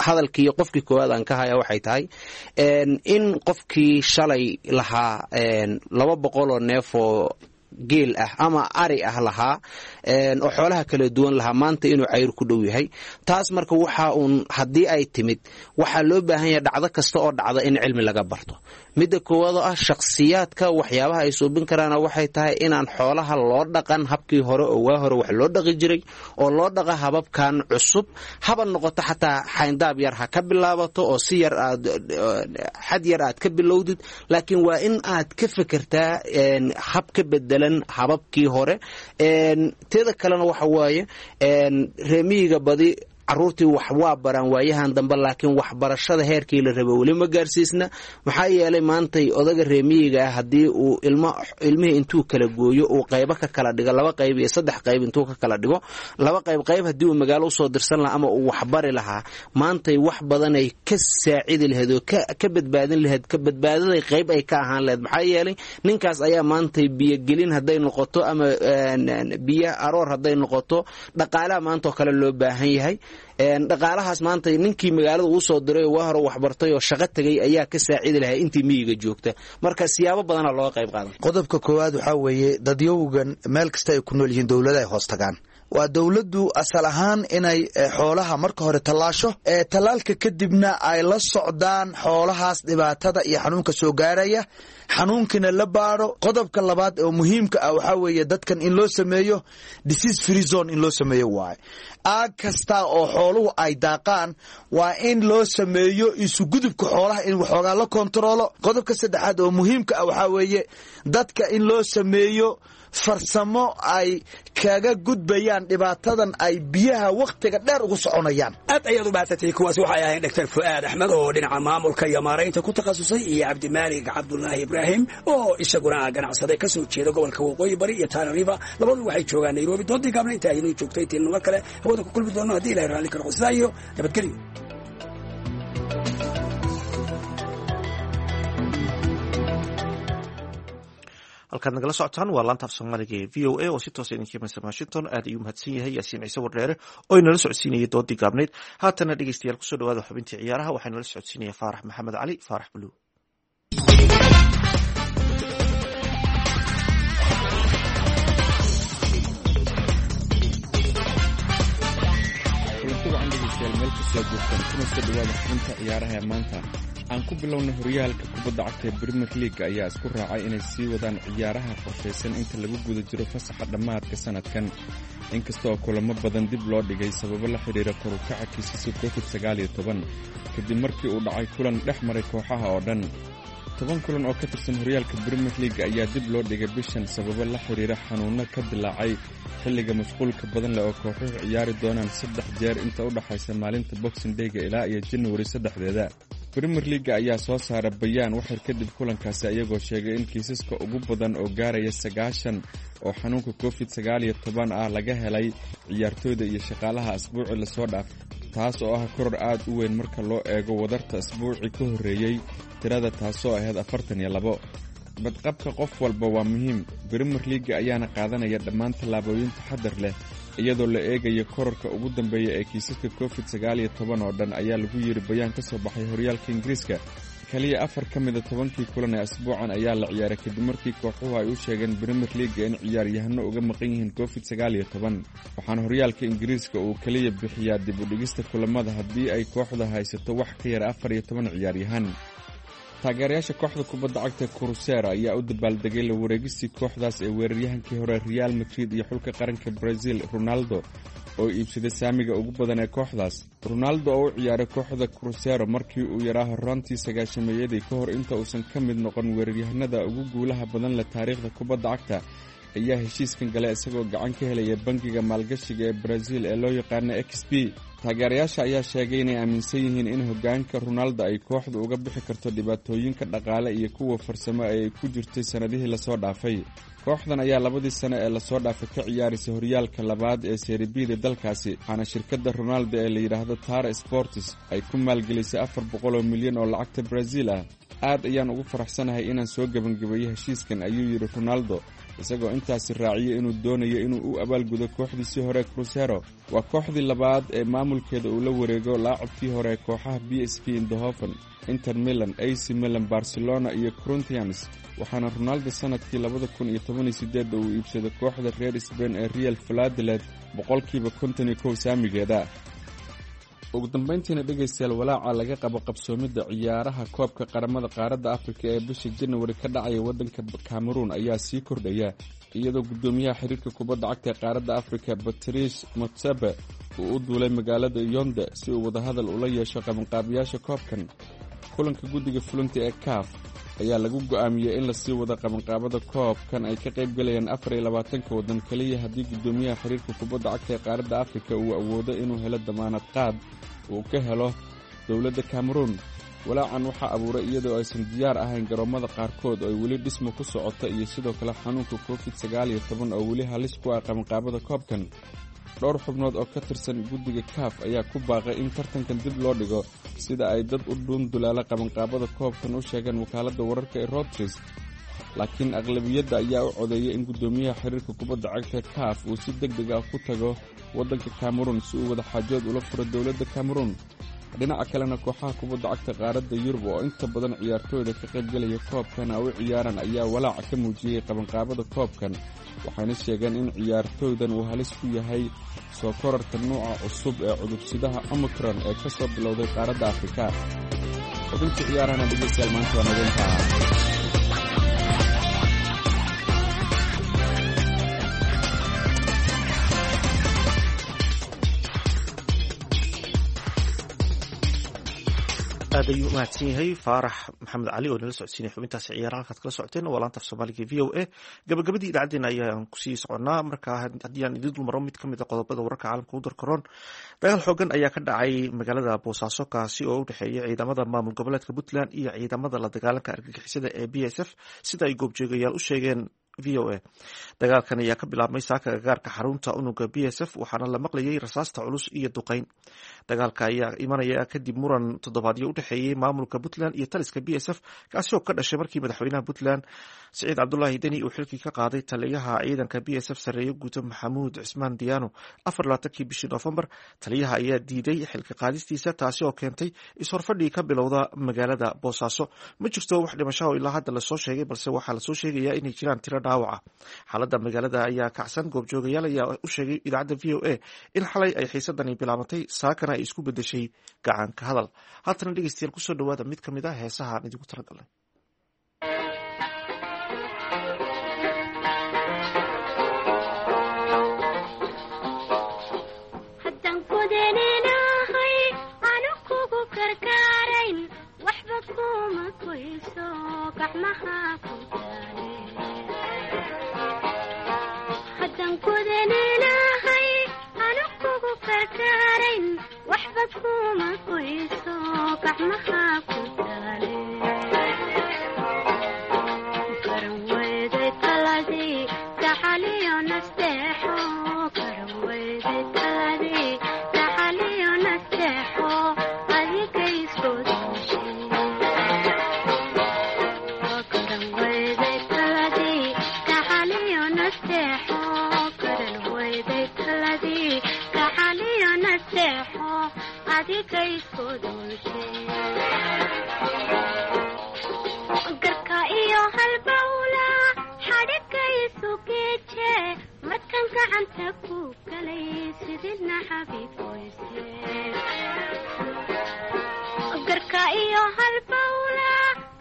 hadalkii qofkii koowaad aan ka haya waxay tahay in qofkii shalay lahaa 200 oo neef oo geel ah ama ari ah lahaa oo xoolaha kala duwan lahaa, maanta inuu cayr ku dhow yahay. Taas marka waxa uun haddii ay timid, waxaa loo baahan yahay dhacdo kasta oo dhacda in cilmi laga barto. Midda koowaad oo ah shakhsiyaadka waxyaabaha ay suubin karaana waxay tahay inaan xoolaha loo dhaqan habkii hore oo waa hore wax loo dhaqi jiray oo loo dhaqa hababkan cusub. Haba noqoto xataa xayndaab yar ha ka bilaabato oo si yar aad xad yar aad ka bilowdid, laakiin waa in aad ka fekertaa hab ka bedelan hababkii hore. Teeda kalena waxa waaye reemiyiga badi caruurtii wax waa baraan waayahan dambe, laakiin waxbarashada heerkii la rabo weli ma gaarsiisna. Maxaa yeelay maantay odaga reemiyiga ah haddii uu ilmo ilmihii intuu kala gooyo uu qaybo ka kala dhigo, laba qayb iyo saddex qayb intuu ka kala dhigo, laba qayb qayb haddii uu magaalo usoo dirsan lahaa ama uu waxbari lahaa, maantay wax badanay ka saacidi lahayd oo ka badbaadin lahayd, ka badbaadaday qayb ay ka ahaan lahayd. Maxaa yeelay ninkaas ayaa maantay biyogelin hadday noqoto ama biyo aroor hadday noqoto, dhaqaalaha maanta oo kale loo baahan yahay. Dhaqaalahaas maanta ninkii magaalada uu soo diray oo waa hore waxbartay oo shaqo tegay ayaa ka saacidi lahaa intii miyiga joogta. Marka siyaabo badana looga qayb qaadan. Qodobka koowaad waxaa weeye dadyowgan meel kasta ay ku nool yihiin dowlada ay hoos tagaan. Waa dowladdu asal ahaan inay xoolaha marka hore tallaasho, tallaalka kadibna ay la socdaan xoolahaas dhibaatada iyo xanuunka soo gaaraya, xanuunkiina la baadho. Qodobka labaad oo muhiimka ah waxaa weeye dadkan in loo sameeyo disease free zone in loo sameeyo waaye. Aag kasta oo xooluhu ay daaqaan waa in loo sameeyo isugudubka xoolaha in waxoogaa la kontaroolo. Qodobka saddexaad oo muhiimka ah waxaa weeye dadka in loo sameeyo farsamo ay kaga gudbayaan dhibaatadan ay biyaha wakhtiga dheer ugu soconayaan. Aad ayaad u mahadsantay. Kuwaasi waxay ahayn Dr Fu'aad Axmed oo dhinaca maamulka iyo maaraynta ku takhasusay iyo Cabdimaalig Cabdulaahi Ibraahim oo isaguna ah ganacsade ka soo jeeda gobolka Waqooyi Bari iyo Tana River. Labadu waxay joogaan Nairobi. Doodii gaabna inta aynoo joogtay, intaynnu mar kale hawada ku kulmi doono haddii Ilahay raalli ka noqo, sidaa iyo nabadgelyo. Halkaad nagala socotaan waa laanta af Soomaaliga ee VOA oo si toosa idinka imanaysa Washington. Aad ayuu mahadsan yahay Yaasiin Ciise Wardheere oo inala socodsiinayay doodii gaabnayd. Haatana dhegeystayaal, kusoo dhawaada xubintii ciyaaraha. Waxaa inala socodsiinaya Faarax Maxamed Cali, Faarax Buluug. Kulanti wacan dhegeystayaal, meel kastoo joogtaan, kuna soo dhawaada xubinta ciyaaraha ee maanta. Aan ku bilowna horyaalka kubadda cagta ee Premier League ayaa isku raacay inay sii wadaan ciyaaraha qorshaysan inta lagu guda jiro fasaxa dhammaadka sanadkan, inkasta oo kulamo badan dib loo dhigay sababo la xidhiira kor u kaca kiisaska COVID-19 kadib markii uu dhacay kulan dhex maray kooxaha oo dhan. 10 kulan oo ka tirsan horyaalka Premier League ayaa dib loo dhigay bishan sababo la xidhiira xanuunno ka dilaacay xilliga mashquulka badan leh oo kooxuhu ciyaari doonaan saddex jeer inta u dhaxaysa maalinta Boxing Day-ga ilaa iyo January 3-deeda. Premier Leaga ayaa soo saara bayaan waxyar kadib kulankaasi, ayagoo sheegay in kiisaska ugu badan oo gaaraya 90 oo xanuunka COVID-19 ah laga helay ciyaartooyda iyo shaqaalaha asbuucii lasoo dhaafay, taas oo ah koror aad u weyn marka loo eego wadarta asbuucii ka horreeyey tirada, taasoo ahayd 42. Badqabka qof walba waa muhiim, Premier Leaga ayaana qaadanaya dhammaan tallaabooyin taxadar leh iyadoo la eegayo kororka ugu dambeeya ee kiisaska COVID-19 oo dhan, ayaa lagu yiri bayaan ka soo baxay horyaalka Ingiriiska. Kaliya afar ka mida 10-kii kulan ee asbuucan ayaa la ciyaaray kadib markii kooxuhu ay u sheegeen Premier Leaga in ciyaaryahano uga maqan yihiin COVID-19, waxaana horyaalka Ingiriiska uu kaliya bixiyaa dib u dhigista kulamada haddii ay kooxda haysato wax ka yar 14 ciyaaryahan. Taageerayaasha kooxda kubadda cagta Cruzeiro ayaa u dabaaldegay la wareegistii kooxdaas ee weeraryahankii hore Real Madrid iyo xulka qaranka Brazil Ronaldo oo iibsaday saamiga ugu badan ee kooxdaas. Ronaldo oo u ciyaaray kooxda Cruzeiro markii uu yaraa horraantii sagaashameeyadii ka hor inta uusan ka mid noqon weeraryahanada ugu guulaha badan leh taariikhda kubadda cagta ayaa heshiiskan galay isagoo gacan ka helaya bangiga maalgashiga ee Brazil ee loo yaqaano XP. Taageerayaasha ayaa sheegay inay aaminsan yihiin in hoggaanka Ronaldo ay kooxdu uga bixi karto dhibaatooyinka dhaqaale iyo kuwa farsamo ee ay ku jirtay sannadihii lasoo dhaafay. Kooxdan ayaa labadii sano ee lasoo dhaafay ka ciyaaraysa horyaalka labaad ee Serie B-da dalkaasi, waxaana shirkadda Ronaldo ee la yidhaahdo Tara Sports ay ku maalgelisay 400 milyan oo lacagta Brazil ah. "Aad ayaan ugu faraxsanahay inaan soo gebangabeeyey heshiiskan," ayuu yidhi Ronaldo, isagoo intaasi raaciyay inuu doonayo inuu u abaalgudo kooxdiisii hore Cruzeiro. Waa kooxdii labaad ee maamulkeeda uu la wareego laacabkii hore kooxaha PSV Eindhoven, Inter Milan, AC Milan, Barcelona iyo Corinthians, waxaana Ronaldo sanadkii 2018 uu iibsaday kooxda reer Spain ee Real Valladolid 51% saamigeeda. Ugu dambayntiina dhegaystayaal, walaaca laga qabo qabsoomidda ciyaaraha koobka qaramada qaaradda Afrika ee bisha Janawari ka dhacaya waddanka Cameroon ayaa sii kordhaya, iyadoo guddoomiyaha xiriirka kubadda cagta ee qaaradda Afrika Patrice Motsepe uu u duulay magaalada Yonde si uu wadahadal ula yeesho qabanqaabiyaasha koobkan. Kulanka guddiga fulinta ee CAF ayaa lagu go'aamiyey in lasii wado qabanqaabada koobkan ay ka qayb galayaan 24-ka waddan keliya haddii guddoomiyaha xiriirka kubadda cagta ee qaaradda Afrika uu awoodo inuu helo damaanad qaad uu ka helo dowladda Cameroon. Walaacan waxaa abuuray iyadoo aysan diyaar ahayn garoommada qaarkood oo ay weli dhismo ku socota iyo sidoo kale xanuunka COVID-19 oo weli halis ku ah qabanqaabada koobkan. Dhowr xubnood oo ka tirsan guddiga CAF ayaa ku baaqay in tartankan dib loo dhigo, sida ay dad u dhuundulaala qabanqaabada koobkan u sheegeen wakaaladda wararka ee Reuters, laakiin aqlabiyadda ayaa u codeeyay in guddoomiyaha xiriirka kubadda cagta CAF uu si deg deg ah ku tago waddanka Cameroon si uu wadaxaajood ula furo dowladda Cameroon. Dhinaca kalena, kooxaha kubadda cagta qaaradda Yurub oo inta badan ciyaartooyda ka qaybgelaya koobkan ay u ciyaaraan ayaa walaaca ka muujiyey qabanqaabada koobkan, waxayna sheegeen in ciyaartooydan uu halis ku yahay soo korarka nuuca cusub ee cudursidaha Omicron ee ka soo bilowday qaaradda Afrika. Xubintii ciyaarahana dhegeystayaal maanta waa nageyntaa. Aad ayuu umahadsan yahay Faarax Maxamed Cali oo nala socodsiinay xubintaasi ciyaaraha. Halkaad kala socoteen waa laanta af Soomaaliga V O A. Gabagabadii idaacaddeenna ayaan kusii soconnaa. Markaa haddii aan idiin dulmaro mid ka mid a qodobada wararka caalamka u darkaroon, dagaal xoogan ayaa ka dhacay magaalada Boosaaso, kaasi oo u dhexeeya ciidamada maamul goboleedka Puntland iyo ciidamada la dagaalanka argagixisada ee BSF, sida ay goobjoogayaal u sheegeen V O A. Dagaalkan ayaa ka bilaabmay saaka gagaarka xarunta unuga BSF, waxaana la maqlayay rasaasta culus iyo duqeyn. Dagaalka ayaa imanaya kadib muran toddobaadyo u dhexeeyey maamulka Puntland iyo taliska BSF, kaasi oo ka dhashay markii madaxweynaha Puntland Siciid Cabdulaahi Deni uu xilkii ka qaaday taliyaha ciidanka BSF, sarreeye guuto Maxamuud Cismaan Diyaano, 24-kii bishii Noofembar. Taliyaha ayaa diiday xilka qaadistiisa, taasi oo keentay is-horfadhii ka bilowda magaalada Boosaaso. Ma jirto wax dhimasho oo ilaa hadda lasoo sheegay, balse waxaa lasoo sheegayaa inay jiraan tiro dhaawaca. Xaaladda magaalada ayaa kacsan. Goobjoogayaal ayaa u sheegay idaacadda VOA in xalay ay xiisadani bilaabantay, saakana ay isku bedeshay gacanka hadal. Haatana dhegeystayaal, kusoo dhawaada mid ka mid ah heesaha aan idiinku talagalnay. Haddaan kudaninahay anu kugu karkaarayn, waxba kuma goyso gacmaha ku daale. Haddaan kudaninahay anu kugu karkaarayn, waxba kuma goyso gacmaha ku daale. Garan weyday taladii gacaliyo nasteexo, garan weyday taladii gacaliyo nasteexo, adigay isku dooshay. Garan weyday taladii gacaliyo nasteexo, garan weyday taladii gacaliyo nasteexo, adigay isku dooshay. Garka iyo halbawla xadhigaysu geeje, markan gacanta ku galay sidina xabiiboyse. Garka iyo halbawla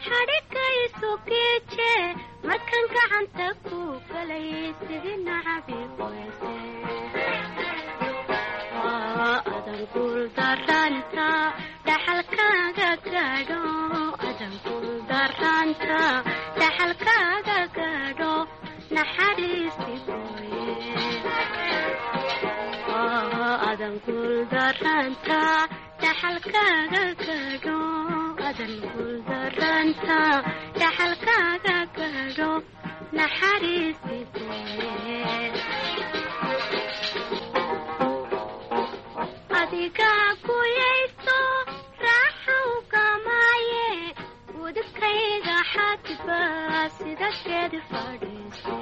xadhigaysu geeje, markan gacanta ku galay sidina xabiiboyse. Adan guuldaranta dhaxalkaaga gaadho, adan guuldaranta dhaxalkaaga gaadho, naxariisti gooye. Adan guuldaranta dhaxalkaaga gaadho, adan guuldaranta dhaxalkaaga gaadho, naxariisti gooye. Adigaa guyaysto raaxow gamaaye, udubkayga xadba sida geed fadhiise.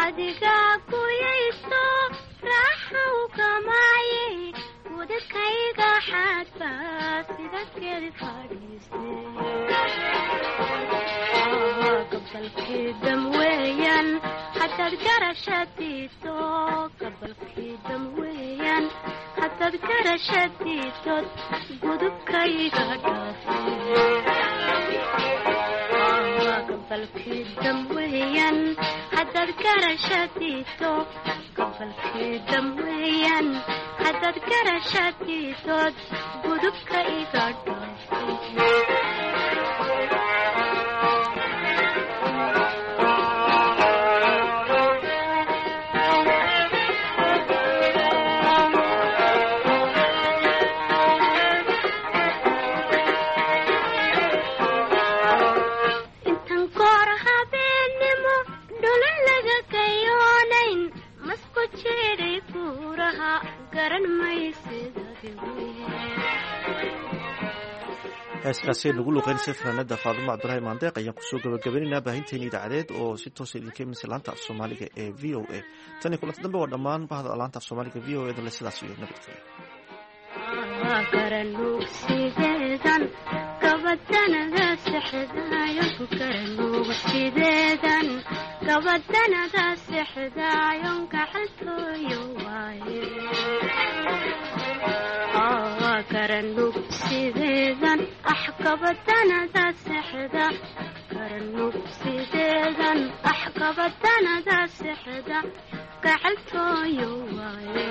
Adigaa guyaysto raaxow gamaaye, udubkayga xadba sida geed fadhiise. Gabalkii dam weeyaan haddaad garashadiiso, gabalkii dam weeyaan haddaad garashadiisood gudubkayga dhaafe. Gabalkii dam weeyaan haddaad garashadiiso, gabalkii dam weeyaan haddaad garashadiisood gudubka iga dhaafe. Intan goor habeenimo dhulun laga gayoonayn, masku jiray buuraha garan maysid. Heeskaasi nagu luqeynaysa fanaanada Faadumo Cabdulaahi Maandeeq ayaan kusoo gabagabaynaynaa baahinteeni idaacadeed oo si toosa idinka imanaysa laanta af Soomaaliga ee VOA. Tan iyo kulanta dambe, waa dhammaan bahda laanta af Soomaaliga VOA da le sidaas iyo nabadgelyo. Garanuugsideedan gabadanada sexdaayo, garanuugsideedan gabadanada sexdaayon gacantooyo waaye. Garanuugsideedan ax gabadanada sexda, garanuugsideedan ax gabadanada sexda gacantooyo waaye.